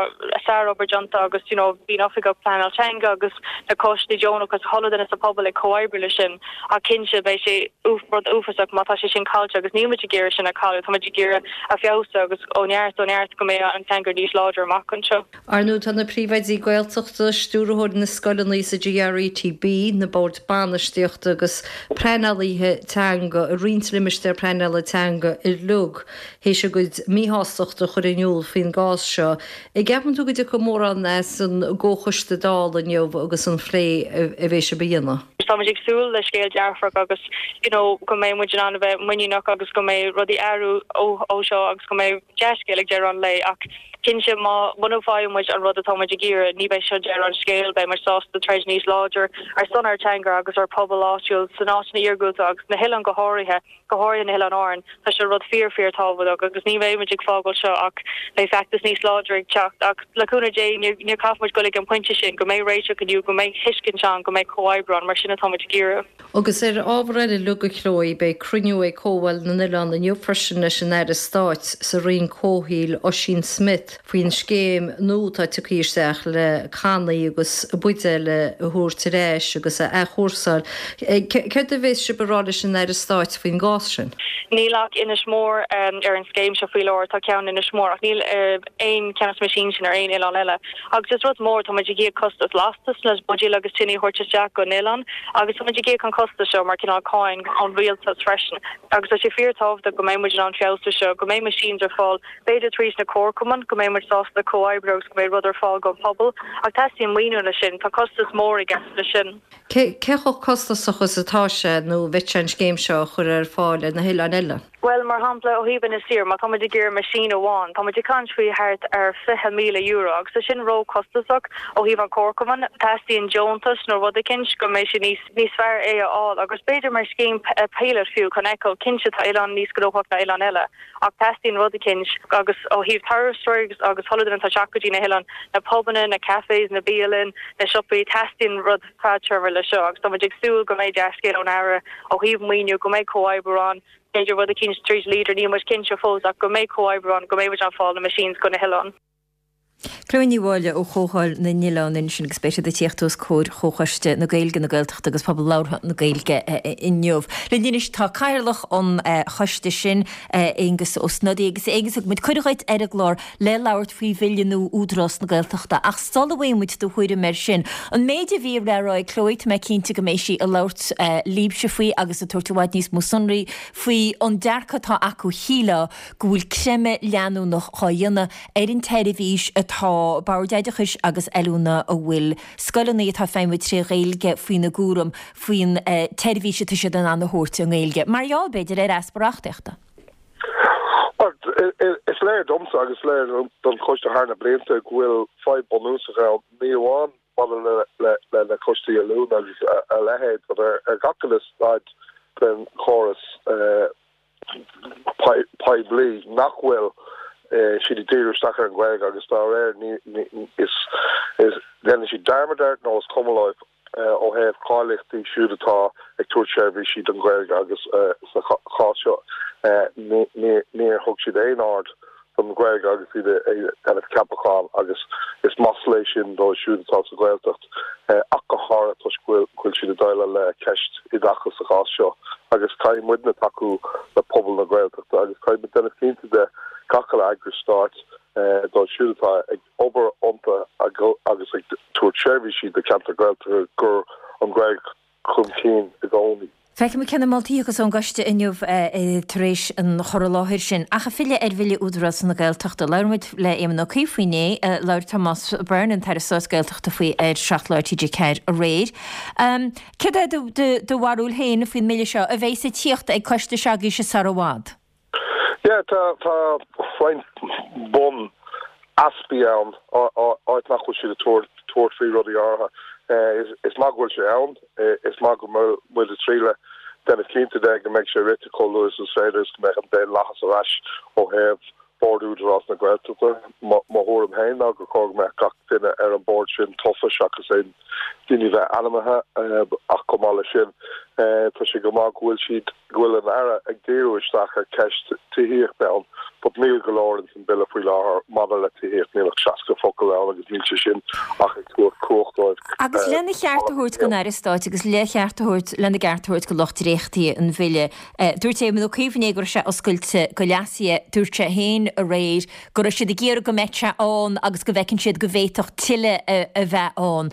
sárobair déanta agus you know bhí an Oifigeach Pleanáil Teanga agus na coistí deonacha agus chuile duine sa pobal ag comhoibriú leis sin ach cinnte beidh sé rud uafásach má tá sé sin caillte agus níl muid ag iarraidh sin a chailleadh, tá muid ag iarraidh a feabhsú agus ó neart ó neart go mbeidh an teanga níos láidre amach anseo. Ar ndóigh tá na príomhoidí Gaeltachta, stiúrthóirí na scoileanna sa GRETB, na boird bainistíochta agus pleanálaithe teanga i roinnt limistéar pleanála teanga uilig théis a gcuid míshástachta a chur in iúl faoin gcás seo. An gceapann tú go dtiocfaidh mórán as an gcomhchoiste Dála inniu agus an phlé a bheidh sibh a dhéanamh? Tá muid ag súil le scéal dearfach agus you know go mbeidh muid in ann a bheith muiníneach agus go mbeidh rudaí athrú ó seo agus go mbeidh dea-scéal ag deireadh an lae ach cinnte má muna bhfaigheann muid an rud atá muid ag iarraidh ní bheidh seo deireadh an scéil, beidh muid sásta troid níos láidir ar son ár teanga agus ár pobal áitiúil san áiteanna iargúlta agus na hoileáin go háirithe, go háirithe na hOileáin Árann. Tá seo rud fíor fíor tábhachtach agus ní bheidh muid ag fágáil seo ach beidh feachtas níos láidre ag teacht ach le cúnamh Dé ní ní caithfidh muid dul ag an pointe sin go mbeidh réiteach inniu, go mbeidh tuiscint ann, go mbeidh comhoibriú ann mar sin atá muid ag iarraidh. Agus ar ábhar eile uilig a Chloe, beidh cruinniú ag Comhdháil na nOileán inniu freisin leis an Aire Stáit sa Roinn Comhshaoil Ossian Smyth faoin scéim nua atá tugtha isteach le cannaí agus buidéil a thabhairt ar ais agus a athchúrsáil. Céard a bheas sibh a rá leis an Aire Stáit faoin gcás sin? Níl ach Inis Mór ar an scéim seo faoi láthair, tá ceann Inis Mór ach níl aon ceann de na meaisíní sin ar aon oileán eile. Agus is rud mór, tá muid ag íoc costas lastas le buidéil agus tine a thabhairt isteach go n-oileán agus tá muid ag íoc an costas seo mar cineál cáin ón rialtas freisin. Agus tá sé fíorthábhachtach go mbeidh muid in ann feabhsú seo, go mbeidh machines ar fáil, b'fhéidir tríd na comharchumainn, go mbeidh muid sásta comhoibriú agus go mbeidh rud ar fáil don phobal. Ach teastaíonn maoiniú leis sin, tá costas mór i gceist leis sin. Cé chomh costasach is atá sé nó bheadh sé an scéim seo a chur ar fáil ar na hoileáin eile? Bhuel, mar shampla, ó thaobh Inis Oírr, má tá muid ag iarraidh meaisín amháin, tá muid ag caint faoi thart ar fiche míle euro agus tá sin ró-chostasach ó thaobh an chomharchumainn. Teastaíonn deontas nó rud eicínt go mbeidh sé níos níos fearr é a fháil agus b'fhéidir mar scéim pilot fiú chun feiceáil, cinnte tá oileán níos gnóthach ná oileán eile ach teastaíonn rud eicínt agus ó thaobh turasóirí agus chuile dhuine atá ag teacht go dtí na hoileáin, na pubanna, na cafés, na bialann, na siopaí, teastaíonn rud fadtéarma le seo agus tá muid ag súil go mbeidh dea-scéal ón Aire ó thaobh maoiniú, go mbeidh comhoibriú ann, b'fhéidir rud eicínt tríd Leader, níl muid cinnte fós ach go mbeidh comhoibriú ann, go mbeidh muid in ann fáil na machines go na hoileáin. Chloe Ní Mháille ó Chomhdháil na nOileán ansin agus beidh siad ag tíocht os comhair Chomhchoiste na Gaeilge, na Gaeltachta agus Pobal Labhartha na Gaeilge inniu. Linn anois tá Cathaoirleach an choiste sin, Aengus Ó Snodaigh agus Aengus thug muid cuireadh dhuit ar an gclár le labhairt faoi bhille nua Údarás na Gaeltachta ach sula bhfaighidh muid do thuairim air sin, an méid a bhí le rá ag Chloe, tá mé cinnte go mbeidh sí ag labhairt libhse faoi agus ag tabhairt i bhfad níos mó sonraí faoi an dearcadh atá acu shílfeá go bhfuil creimeadh leanúnach á dhéanamh ar an tseirbhís atá Boird Oideachais agus Oiliúna a bhfuil scoileanna atá ag feidhmiú tré Ghaeilge faoina gcúram faoin tseirbhís atá siad in ann a thabhairt i nGaeilge, mar gheall, b'fhéidir, ar easpa reachtaíochta. Bhuel, is léir domsa agus is léir don choiste thar na blianta go bhfuil fadhb bunúsach ann, ní amháin maidir le na coistí oiliúna agus a leithéid, but ar gach uile staid den chóras poiblí nach bhfuil siad ag díriú isteach ar an Ghaeilge agus dá réir is déanann siad dearmad air nó is cuma leo ó thaobh cáilíochtaí siúd atá ag tabhairt seirbhísí don Ghaeilge agus sa chás seo níor thug siad aon aird don Ghaeilge agus iad ag déanamh ceapachán agus is masla é sin dóibh siúd atá sa Ghaeltacht ach go háirithe toisc go bhfuil siad ag déileáil le ceist oideachais sa chás seo agus caithfidh muidne tacú le pobal na Gaeltachta agus caithfidh muid déanamh cinnte de gach uile eagras stáit dóibh siúd atá ag obair iontu agus ag tabhairt seirbhísí do cheantar Gaeltachta gur an Ghaeilge chun cinn i gcónaí. Feicfidh muid cé na moltaí a thiocfas ón gcoiste inniu tar éis an chur i láthair sin. Ach ag filleadh ar Bhille Údarás na Gaeltachta, labhair muid le Éamon Ó Cuív faoi inné, labhair Tomás Byrne, an tAire Stáit Gaeltachta faoi ar Seacht Lá ar T G Ceathair aréir. Céard é do bharúil féin faoin mbille seo a bheidh ag tíocht ag coiste s'agaibhse sar i bhfad? Yeah, tá tá roinnt bun easpaí ann, áit nach bhfuil siad ag tabhairt faoi rudaí áirithe. Is maith go bhfuil sé ann, is maith go bhfuil muid ag triail déanamh cinnte de go mbeidh sé rite chomh luath is is féidir is go mbeidh an daonlathas ar ais ó thaobh Bord Údarás na Gaeltachta. Mo thuairim féin ná gur chóir go mbeadh gach duine ar an bord sin tofa seachas aon duine a bheith ainmnithe ach chomh maith leis sin Tá sé go maith go bhfuil siad, go bhfuil an Aire ag díriú isteach ar ceist tithíochta ann, but níl go leor ins an Bille faoi láthair maidir le tithíocht, níl ach seasca focal ann agus níl sé sin ach ag tabhairt cumhacht dóibh. Agus lena cheart a thabhairt don Aire Stáit agus le cheart a thabhairt, lena gceart a thabhairt do lucht dréachtaithe an Bhille, dúirt Éamon Ó Cuív inné go raibh sé oscailte do leasuithe, dúirt sé féin aréir go raibh siad ag iarraidh go mbeadh sé ann agus go bhfeiceann siad go bhféadfadh tuilleadh a bheith ann.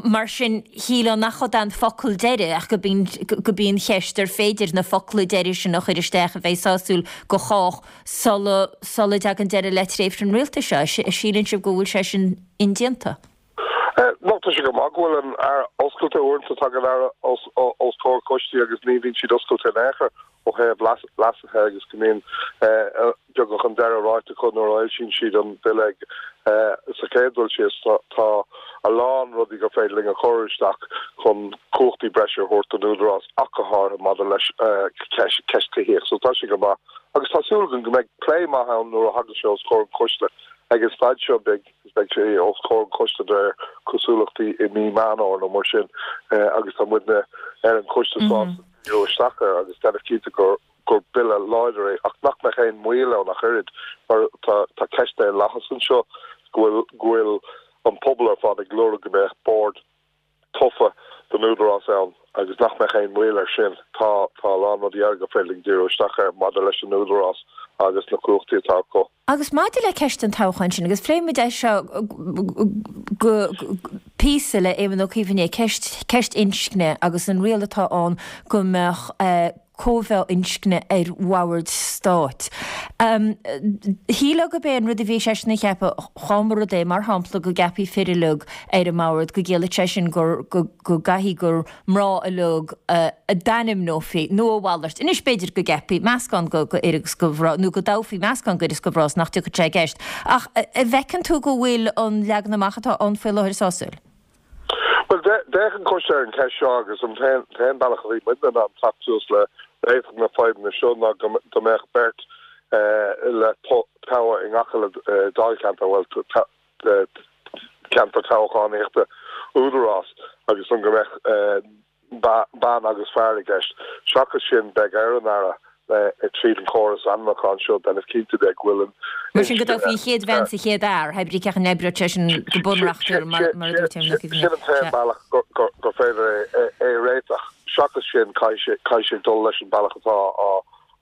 Mar sin, shílfeá nach iad an focal deiridh ach go gurb í an cheist ar féidir na focla deiridh sin a chur isteach a bheidh sásúil do chách sula sula dtagann deireadh le tréimhse an rialtais seo. Síleann sibh go bhfuil sé sin indéanta? Nó tá sé go maith go bhfuil an Aire oscailte uaireanta tagann an Aire os os comhair coistí agus ní bhíonn siad oscailte in aon chor ó thaobh leasuithe agus go mbíonn beagnach an deireadh ráite acu nuair a fhoilsíonn siad an Bille sa chéad dul síos. Tá a lán rudaí gur féidir linn a chur isteach chun cumhachtaí breise a thabhairt don Údarás ach go háirithe maidir leis ceist tithíochta. So tá sé go maith agus tá súil againn go mbeidh plé maith ann nuair a thagann sé os comhair an choiste. Ag an staid seo beidh beidh sé os comhair an choiste de réir cosúlachtaí i mí Meán Fómhair nó mar sin agus tá muidne ar an choiste sásta díriú isteach air agus déanamh cinnte gur gur bille láidir é ach nach mbeadh aon mhoill ann ach oiread mar tá tá ceist daonlathais anseo go bhfuil go bhfuil an pobal ar fad ag lorg go mbeadh bord tofa don Údarás ann agus nach mbeadh aon mhoill air sin. Tá tá a lán rudaí eile gur féidir linn díriú isteach air maidir leis an Údarás agus na cumhachtaí atá acu. Agus maidir le ceist an toghcháin sin, agus phléigh muid é seo go píosa le Éamon Ó Cuív inné, ceist ceist inscne agus an riail atá ann go mbeadh cóimheá inscne ar bhoird stáit. Shílfeá gurb é an rud a bhí seisean a cheapadh, dá mba rud é, mar shampla, go gceapfaí fir uilig ar an mbord, go gciallódh sé sin gur go gcaithfidh gur mná uilig a d'ainmneofaí, nó a mhalairt. Anois b'fhéidir go gceapfaí meascán de fhir agus de mhná, nó go dtoghfaí meascán d'fhir is de mhná is nach dtiocfadh sé i gceist. Ach an bhfeiceann tú go bhfuil an leagan amach atá ann faoi láthair sásúil? Bhuel, d'fhéach an coiste ar an cheist seo agus an t-aon bealach a bhí muidne in ann teacht suas le réiteach na fadhbanna seo ná go mbeadh beirt le toghadh i ngach uile dáilcheantar, bhuel, ceantar toghchánaíochta Údarás agus an go mbeadh bean agus fear i gceist. Seachas sin, beidh ar an Aire tríd an chóras ainmniúcháin seo déanamh cinnte de go bhfuil an Mar sin go dtoghfaí an chéad bhean is an chéad fhear, hé brí cén chaoi a n-oibreodh sé sin go bunreachtúil mar a dúirt Éamon Ó Cuív. Sin an t-aon bealach gur féidir é a réiteach. Seachas sin, caithfidh sé dul leis an bealach atá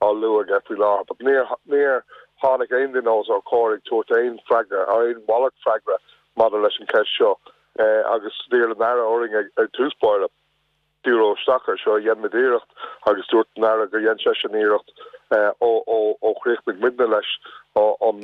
á lua aige faoi láthair. But níor tháinig aon duine os ár comhair ag tabhairt aon freagra, aon mhalairt freagra maidir leis an cheist seo agus d'iarr an Aire orainn ag tús báire díriú isteach air seo. Dhein muid iarracht agus dúirt an Aire gur dhein seisean iarracht ó chríochnaigh muidne leis an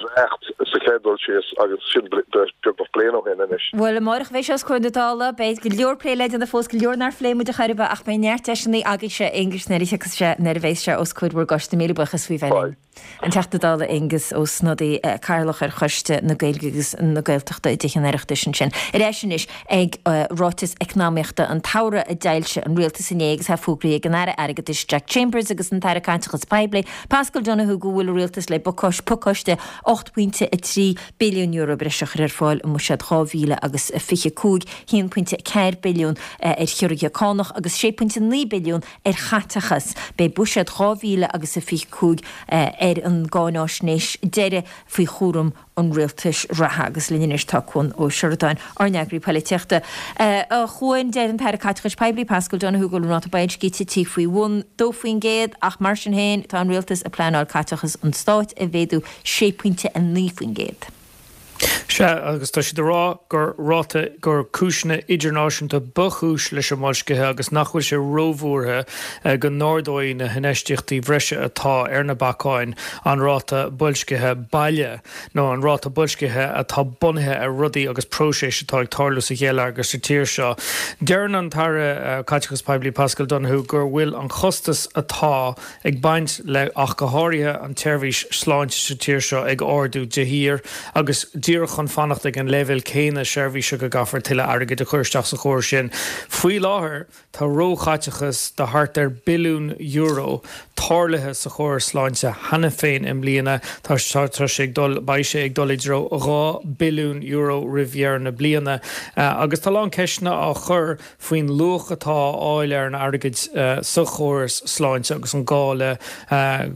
dréacht sa chéad dul síos agus sin beagnach bliain ó shin anois. Bhuel, amárach a bheidh sé os comhair na Dála. Beidh go leor plé le déanamh fós, go leor nár phléigh muid ar chor ar bith ach beidh neart deiseanna agaibhse, Aengus, nuair a thiocfas sé, nuair a bheas sé os comhair bhur gcoiste. Míle buíochas faoi bheith linn. An Teachta Dála Aengus Ó Snodaigh, Cathaoirleach ar Choiste na Gaeilge agus na Gaeltachta i dTithe an Oireachtais ansin. Ar ais anois ag ráiteas eacnamaíochta an tsamhraidh a d'fhoilsigh an Rialtas inné agus é fógraithe ag an Aire Airgeadais Jack Chambers agus an tAire Caiteachais Poiblí Paschal Donohoe go bhfuil an Rialtas le pacáiste ocht bpointe a trí billiún euro breise a chur ar fáil i mBuiséad dhá mhíle agus fiche cúig, haon pointe a ceathair billiún ar chiorruithe cánach agus sé pointe naoi billiún ar chaiteachas. Beidh Buiséad dhá mhíle agus a fiche cúig ar an gcáináisnéis deiridh faoi chúram an rialtais reatha. Agus linn anois tá Cuan Ó Seireadáin, ár n-eagraí polaitíochta. A Chuain, deir an tAire Caiteachais Poiblí, Paschal Donohoe, go bhfuil an ráta boilscithe tite faoi bhun dó faoin gcéad ach mar sin féin tá an rialtas ag pleanáil caiteachas an stáit a mhéadú sé pointe a naoi faoin gcéad. Sea, agus tá siad ag rá gur ráta, gur cúiseanna idirnáisiúnta ba chúis leis an mboilscithe agus nach bhfuil sé róbhuartha go n-ardóidh na hinfheistíochtaí bhreise atá ar na bacáin an ráta boilscithe baile nó an ráta boilscithe atá bunaithe ar rudaí agus próiseas atá ag tarlú sa gheilleagar sa tír seo. Deireann an tAire Caiteachais Poiblí Paschal Donohoe gur bhfuil an costas atá ag baint le ach go háirithe an tseirbhís sláinte sa tír seo ag ardú de shíor agus díreach chun fanacht ag an leibhéal céanna seirbhíse go gcaithfear tuilleadh airgid a chur isteach sa chóras sin. Faoi láthair tá róchaiteachas de thart ar billiún euro tarlaithe sa chóras sláinte cheana féin i mbliana. Tá sé ag dul, beidh sé ag dul i dtreo dhá billiún euro roimh dheireadh na bliana. Agus tá a lán ceisteanna á chur faoin luach atá á fháil ar an airgead sa chóras sláinte agus an gá le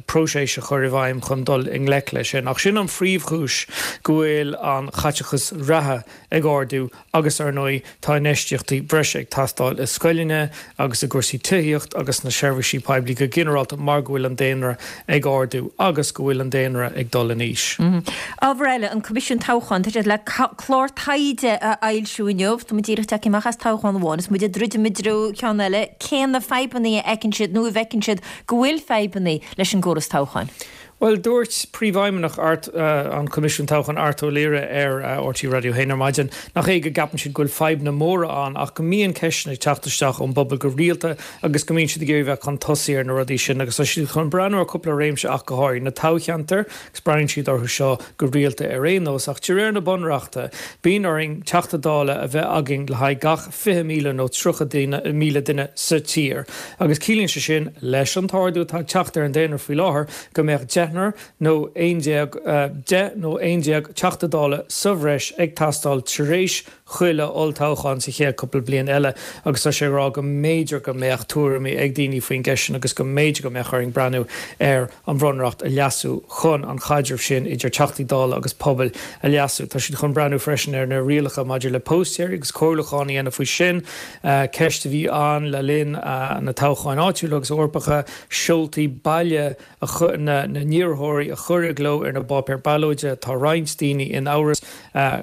próiseas a chur i bhfeidhm chun dul i ngleic leis sin. Ach sin an phríomhchúis go bhfuil an chaiteachas reatha ag ardú agus, ar ndóigh, tá infheistíochtaí breise ag teastáil i scoileanna agus i gcúrsaí tithíocht agus sna seirbhísí poiblí go ginearálta mar go bhfuil an daonra ag ardú agus go bhfuil an daonra ag dul in aois. Ábhar eile, an Coimisiún Toghcháin, tá siad le clár taighde a fhoilsiú inniu. Tá muid díreach tagtha amach as toghchán amháin is muid ag druidim i dtreo ceann eile. Cé na fadhbanna a fheiceann siad nó a bhfeiceann siad go bhfuil fadhbanna leis an gcóras toghcháin? Bhuel, dúirt Príomhfheidhmeannach an Choimisiúin Toghcháin, Art Ó Laoire ar RTÉ Raidió a haon ar maidin, nach é go gceapann siad go bhfuil fadhbanna móra ann ach go mbíonn ceisteanna ag teacht isteach ón bpobal go rialta agus go mbíonn siad ag iarraidh bheith chun tosaigh ar na rudaí sin agus tá siad chun breathnú ar cúpla réimse ach go háirithe, na toghcheantair agus breathnaíonn siad orthu seo go rialta ar aon nós ach de réir na Bunreachta bíonn orainn Teachta Dála a bheith againn le haghaidh gach fiche míle nó tríocha míle duine sa tír agus ciallaíonn sé sin leis an t-ardú atá ag teacht ar an daonra faoi láthair go mbeadh deichniúr nó aon déag, deich nó aon déag Teachta Dála sa bhreis ag teastáil tar éis chuile olltoghchán sa chéad cúpla bliain eile agus tá sé ag rá go mb'fhéidir go mbeadh tuairimí ag daoine faoin gceist sin agus go mb'fhéidir go mbeadh orainn breathnú ar an Bhunreacht a leasú chun an chaidreamh sin idir Teachtaí Dála agus pobail a leasú. Tá siad chun breathnú freisin ar na rialacha maidir le póstaeirí agus comhairliúchán a dhéanamh faoi sin, ceist a bhí ann le linn na toghcháin áitiúla agus Eorpacha, seoltaí baile na n-iarrthóirí a chur i gcló ar na bpáipéir ballóide. Tá roinnt daoine in amhras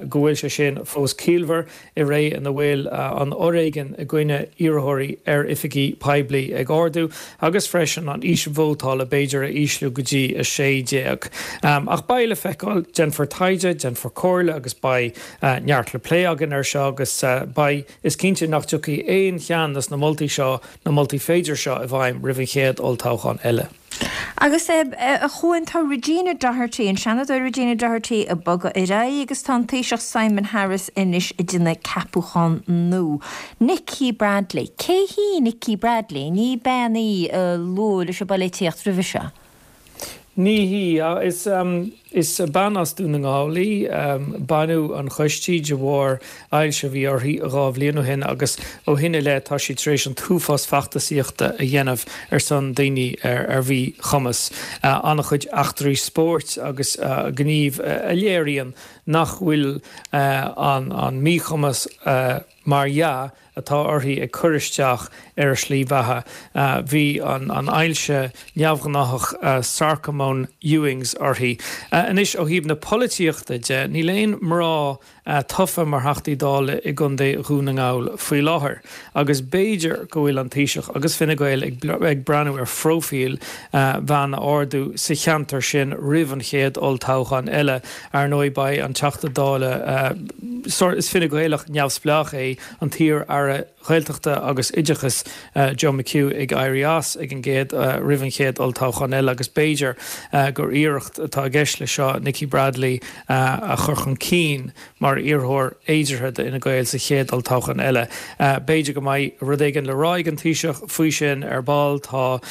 go bhfuil sé sin fós ciallmhar i ré ina bhfuil an foréigean i gcoinne iarrthóirí ar oifigí poiblí ag ardú agus freisin an aois vótála b'fhéidir a ísliú go dtí a sé déag. Ach beidh le feiceáil, déanfar taighde, déanfar comhairle agus beidh neart le plé againn air seo agus beidh, is cinnte nach dtiocfaidh aon cheann de na moltaí seo, na moltaí féideartha seo i bhfeidhm roimh an chéad olltoghchán eile. Agus a Chuain, tá Regina Doherty, an Seanadóir Regina Doherty ag bogadh ar aghaidh agus tá an Taoiseach Simon Harris anois ag déanamh ceapúchán nua. Nikki Bradley. Cé hí Nikki Bradley? Ní bean í a luadh leis an bpolaitíocht roimhe seo. Ní hí. Is Is bean as Dún na nGall í. Baineadh an chois di de bharr ailse a bhí uirthi dhá bhliain ó shin agus ó shin i leith tá sí tar éis an t-uafás feachtasaíochta a dhéanamh ar son daoine ar mhíchumas. An-chuid eachtraí spóirt agus gníomh a léiríonn nach bhfuil an míchumas mar dhea atá uirthi ag cur isteach ar a slí bheatha. Bhí an ailse neamhghnáthach sarcóma Ewing's uirthi. Anois, ó thaobh na polaitíochta de, níl aon mná tofa mar Theachtaí Dála i gContae Dhún na nGall faoi láthair agus b'fhéidir go bhfuil an Taoiseach agus Fine Gael ag breathnú ar phróifíl bhean a ardú sa cheantar sin roimh an chéad olltoghchán eile. Ar ndóigh, beidh an Teachta Dála, is Fine Gaelach neamhspleách é, an t-iar-aire Gaeltachta agus Oideachais Joe McHugh ag éirí as ag an gcéad roimh an chéad olltoghchán eile agus b'fhéidir gur iarracht atá i gceist leis seo Nikki Bradley a chur chun cinn mar iarrthóir fhéideartha d'Fhine Gael sa chéad olltoghchán eile. B'fhéidir go mbeidh rud éigin le rá ag an Taoiseach faoi sin ar ball. Tá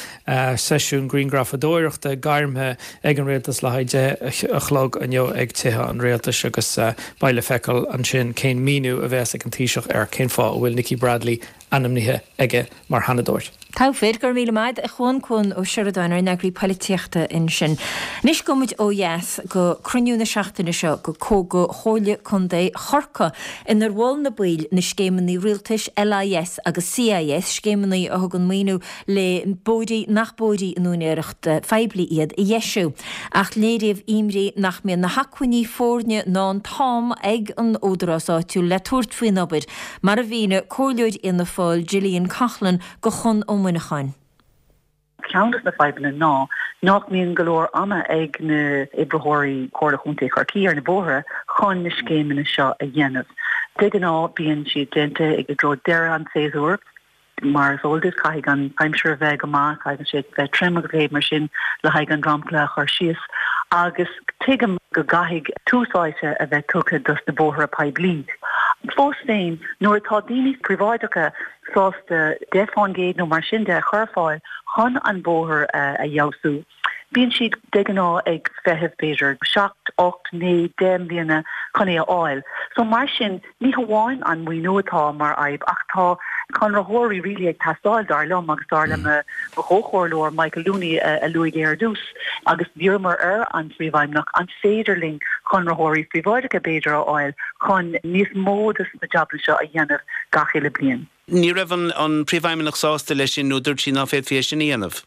seisiún grianghrafadóireachta gairmthe ag an Rialtas le haghaidh deich a chlog inniu ag Tithe an Rialtais agus beidh le feiceáil ansin cén míniú a bheas ag an Taoiseach ar cén fáth a bhfuil Nikki Bradley ainmnithe aige mar Sheanadóir. Togha fir, go raibh míle maith a Chuain, Cuan Ó Seireadáin, ár n-eagraí polaitíochta ansin. Anois gabhfaidh muid ó dheas go cruinniú na seachtaine seo go go Chomhairle Contae Chorcaí inar mhol na baill na scéimeanna rialtais LIS agus CIS, scéimeanna a thugann maoiniú le bóithre nach bóithre in úinéireacht phoiblí iad a dheisiú. Ach léiríodh imní nach mbíonn na hacmhainní foirne ná an t-am ag an údarás áitiúil le tabhairt faoin obair, mar a mhínigh Comhairleoir Fhianna Fáil Gillian Coughlan do Chonn Ó Muineacháin. Ceann de na fadhbanna ná nach mbíonn go leor ama ag na oibritheoirí Comhairle Chontae Chorcaí ar na bóithre chun na scéimeanna seo a dhéanamh. De ghnáth bíonn siad déanta i dtreo deireadh an tséasúir. Mar is eol duit, caithfidh an aimsir a bheith go maith, caithfidh sé bheith tirim agus a leithéid mar sin le haghaidh an dromchla a chur síos. Agus tuigim go gcaithfidh tús áite a bheith tugtha dos na bóithre poiblí. Fós féin, nuair atá daoine príobháideacha sásta deich fán gcéad nó mar sin de a chur ar fáil chun an bóthar a fheabhsú, bíonn siad de ghnáth ag feitheamh b'fhéidir seacht, ocht, naoi, deich mbliana chun é a fháil. So mar sin, ní hamháin an maoiniú atá mar fhadhb ach tá conraitheoirí really ag teastáil, dar liom agus dar le mo chomhchomhairleoir Michael Looney a luaigh é ar dtús agus d'iarramar ar an Phríomhfheidhmeannach an féidir linn conraitheoirí príobháideacha b'fhéidir a fháil chun níos mó de na jabanna seo a dhéanamh gach uile bliain. Ní raibh an Príomhfheidhmeannach sásta leis sin nó dúirt sí ná féadfaí é sin a dhéanamh?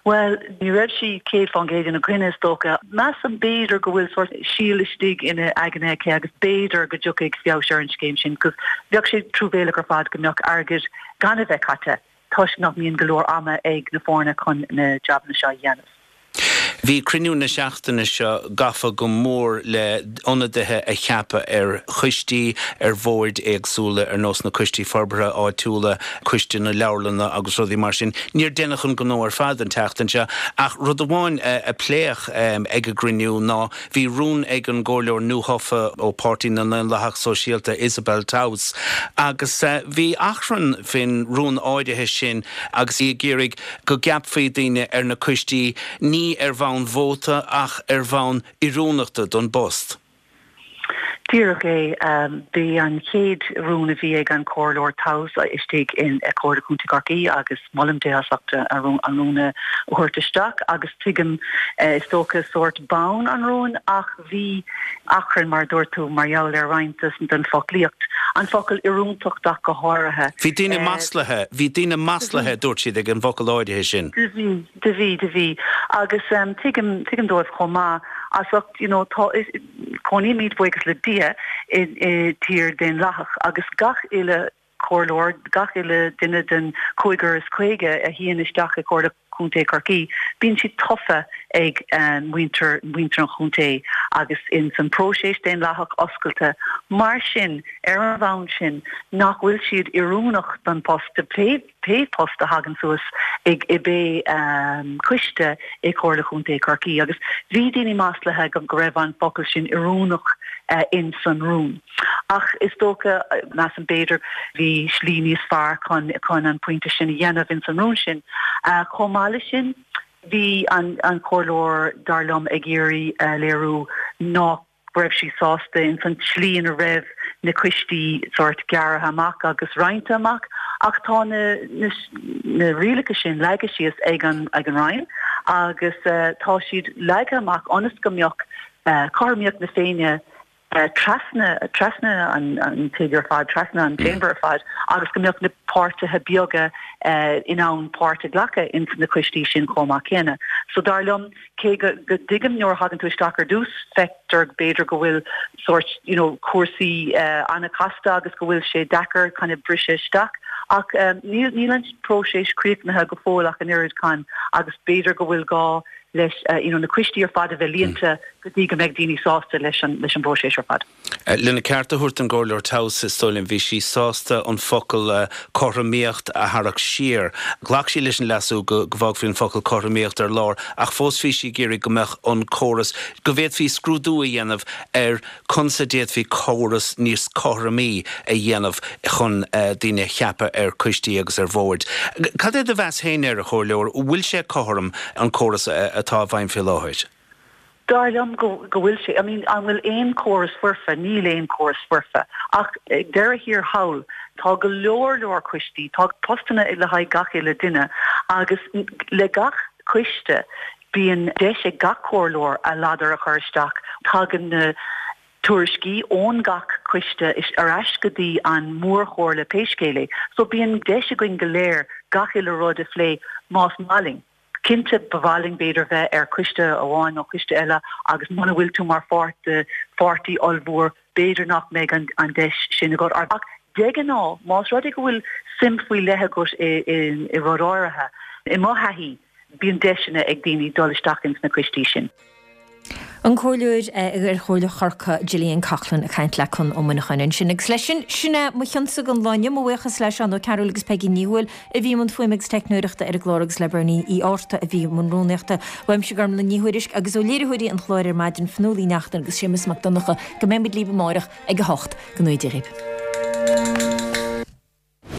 Bhuel, ní raibh sí céad fán gcéad ina coinne, is dócha. Measaim b'fhéidir go bhfuil sórt síol istigh ina aigne aici agus b'fhéidir go dtiocfaidh feabhas ar an scéim sin 'cause bheadh sé truamhéalach ar fad go mbeadh airgead gan a bheith caite toisc nach mbíonn go leor ama ag na foirne chun na jabanna seo a dhéanamh. Bhí cruinniú na seachtaine seo gafa go mór le ionadaithe a cheapadh ar choistí, ar bhoird éagsúla ar nós na coistí forbartha áitiúla, coiste na leabharlanna agus rudaí mar sin. Níor deineadh an gnó ar fad an tseachtain seo ach rud amháin a pléadh ag an gcruinniú ná bhí rún ag an gcomhairleoir nuathofa ó Páirtí na nDaonlathach Sóisialta Isabel Towse agus bhí achrann faoin rún áirithe sin agus í ag iarraidh go gceapfaí daoine ar na coistí ní ar bhonn vóta ach ar bhonn oiriúnachta don bpost. Díreach é. B'é an chéad rún a bhí ag an Chomhairleoir Towse istigh in Comhairle Contae Chorcaí agus molaim di as ucht an rún a thabhairt isteach agus tuigim is dócha sórt bonn an rúin ach bhí achrann mar a dúirt tú mar gheall ar roinnt den foclaíocht, an focal oiriúntacht ach go háirithe. Bhí daoine maslaithe, bhí daoine maslaithe a dúirt siad ag an bhfocal áirithe sin. Do bhí, do bhí, do bhí. Agus tuigim, tuigim dóibh chomh maith as ucht, you know, tá, cónaímid, buíochas le Dia, i, i tír daonlathach agus gach uile chomhairleoir, gach uile duine den cúigear is caoga a shuíonn isteach i Comhairle Contae Chorcaí, bíonn siad tofa ag muintir, muintir an chontae agus ins an próiseas daonlathach oscailte. Mar sin, ar an bhonn sin, nach bhfuil siad oiriúnach don post, do pé, pé post a thagann suas ag i bpé coiste i Comhairle Chontae Chorcaí. Agus bhí daoine maslaithe go go raibh an focal sin oiriúnach ins an rún. Ach is dócha, measaim b'fhéidir, bhí slí níos fearr chun chun an pointe sin a dhéanamh ins an rún sin. Chomh maith leis sin, bhí an an comhairleoir, dar liom, ag iarraidh a léiriú nach raibh sí sásta ins an tslí ina raibh na coistí sórt gearrtha amach agus roinnte amach ach tá na na na rialacha sin leagtha síos ag an ag an Roinn agus tá siad leagtha amach ionas go mbeadh cothromaíocht na Féinne trasna trasna an tigh ar fad, trasna an chamber ar fad agus go mbeadh na páirtithe beaga in ann páirt a ghlacadh ins na coistí sin chomh maith céanna. So dar liom, cé go go dtuigim nuair a thagann tú isteach ar dtús, feictear b'fhéidir go bhfuil sórt you know cúrsaí an-chasta agus go bhfuil sé deacair kind of briseadh isteach ach níl níl an próiseas críochnaithe go fóill ach an oiread con agus b'fhéidir go bhfuil gá leis you know na coistí ar fad a bheith líonta go dtí go mbeidh daoine sásta leis an leis an bpróiseas ar fad. Lena ceart a thabhairt don gComhairleoir Towse, is dóigh liom, bhí sí sásta an focal cothromaíocht a tharrac siar. Ghlac sí leis an leasú go go bhfágfaí an focal cothromaíocht ar lár ach fós bhí sí ag iarraidh go mbeadh an córas, go bhféadfaí scrúdú a dhéanamh ar conas a d'fhéadfaí córas níos cothromaí a dhéanamh chun daoine a cheapadh ar choistí agus ar bhoird. Cad é do mheas féin air, a Chomhairleoir, bhfuil sé cothrom, an córas atá i bhfeidhm faoi láthair? Dar liom go go bhfuil sé. I mean, an bhfuil aon chóras foirfe? Níl aon chóras foirfe. Ach ag deireadh thiar thall, tá go leor leor coistí, tá postanna le haghaidh gach uile duine agus le gach coiste bíonn deis ag gach comhairleoir a ladar a chur isteach. Tagann na tuairiscí ón gach coiste ar ais go dtí an mhórchomhairle pé scéal é. So bíonn deis againn go léir gach uile rud a phlé más maith linn. Cinnte ba mhaith linn b'fhéidir bheith ar choiste amháin nó coiste eile agus muna bhfuil tú mar pháirt de pháirtí ollmhór b'fhéidir nach mbeidh an deis sin agat. Ach de ghnáth más rud é go bhfuil suim faoi leith agat i rud áirithe, i mo thaithí, bíonn deiseanna ag daoine dul isteach ins na coistí sin. An Comhairleoir ar Chomhairle Chorcaí Gillian Coughlan ag caint le Conn Ó Muineacháin ansin. Agus leis sin, sin é mo chionsa don lá inniu, mo bhuíochas le Seán Ó Cearúil agus Peigí Ní Thuathail a bhí i mbun fuaime agus teicneoireachta ar an gclár agus le Bernie Uí Fhátharta a bhí i mbun rúnaíochta. Uaimse Gormlaith Ní Thuairisg agus ó léiritheoirí an chláir ar maidin Fionnuala Uí Neachtain agus Séamus Mac Donncha go mbeidh muid libh amárach ag a hocht. Go ngnóthaí Dia dhaoibh.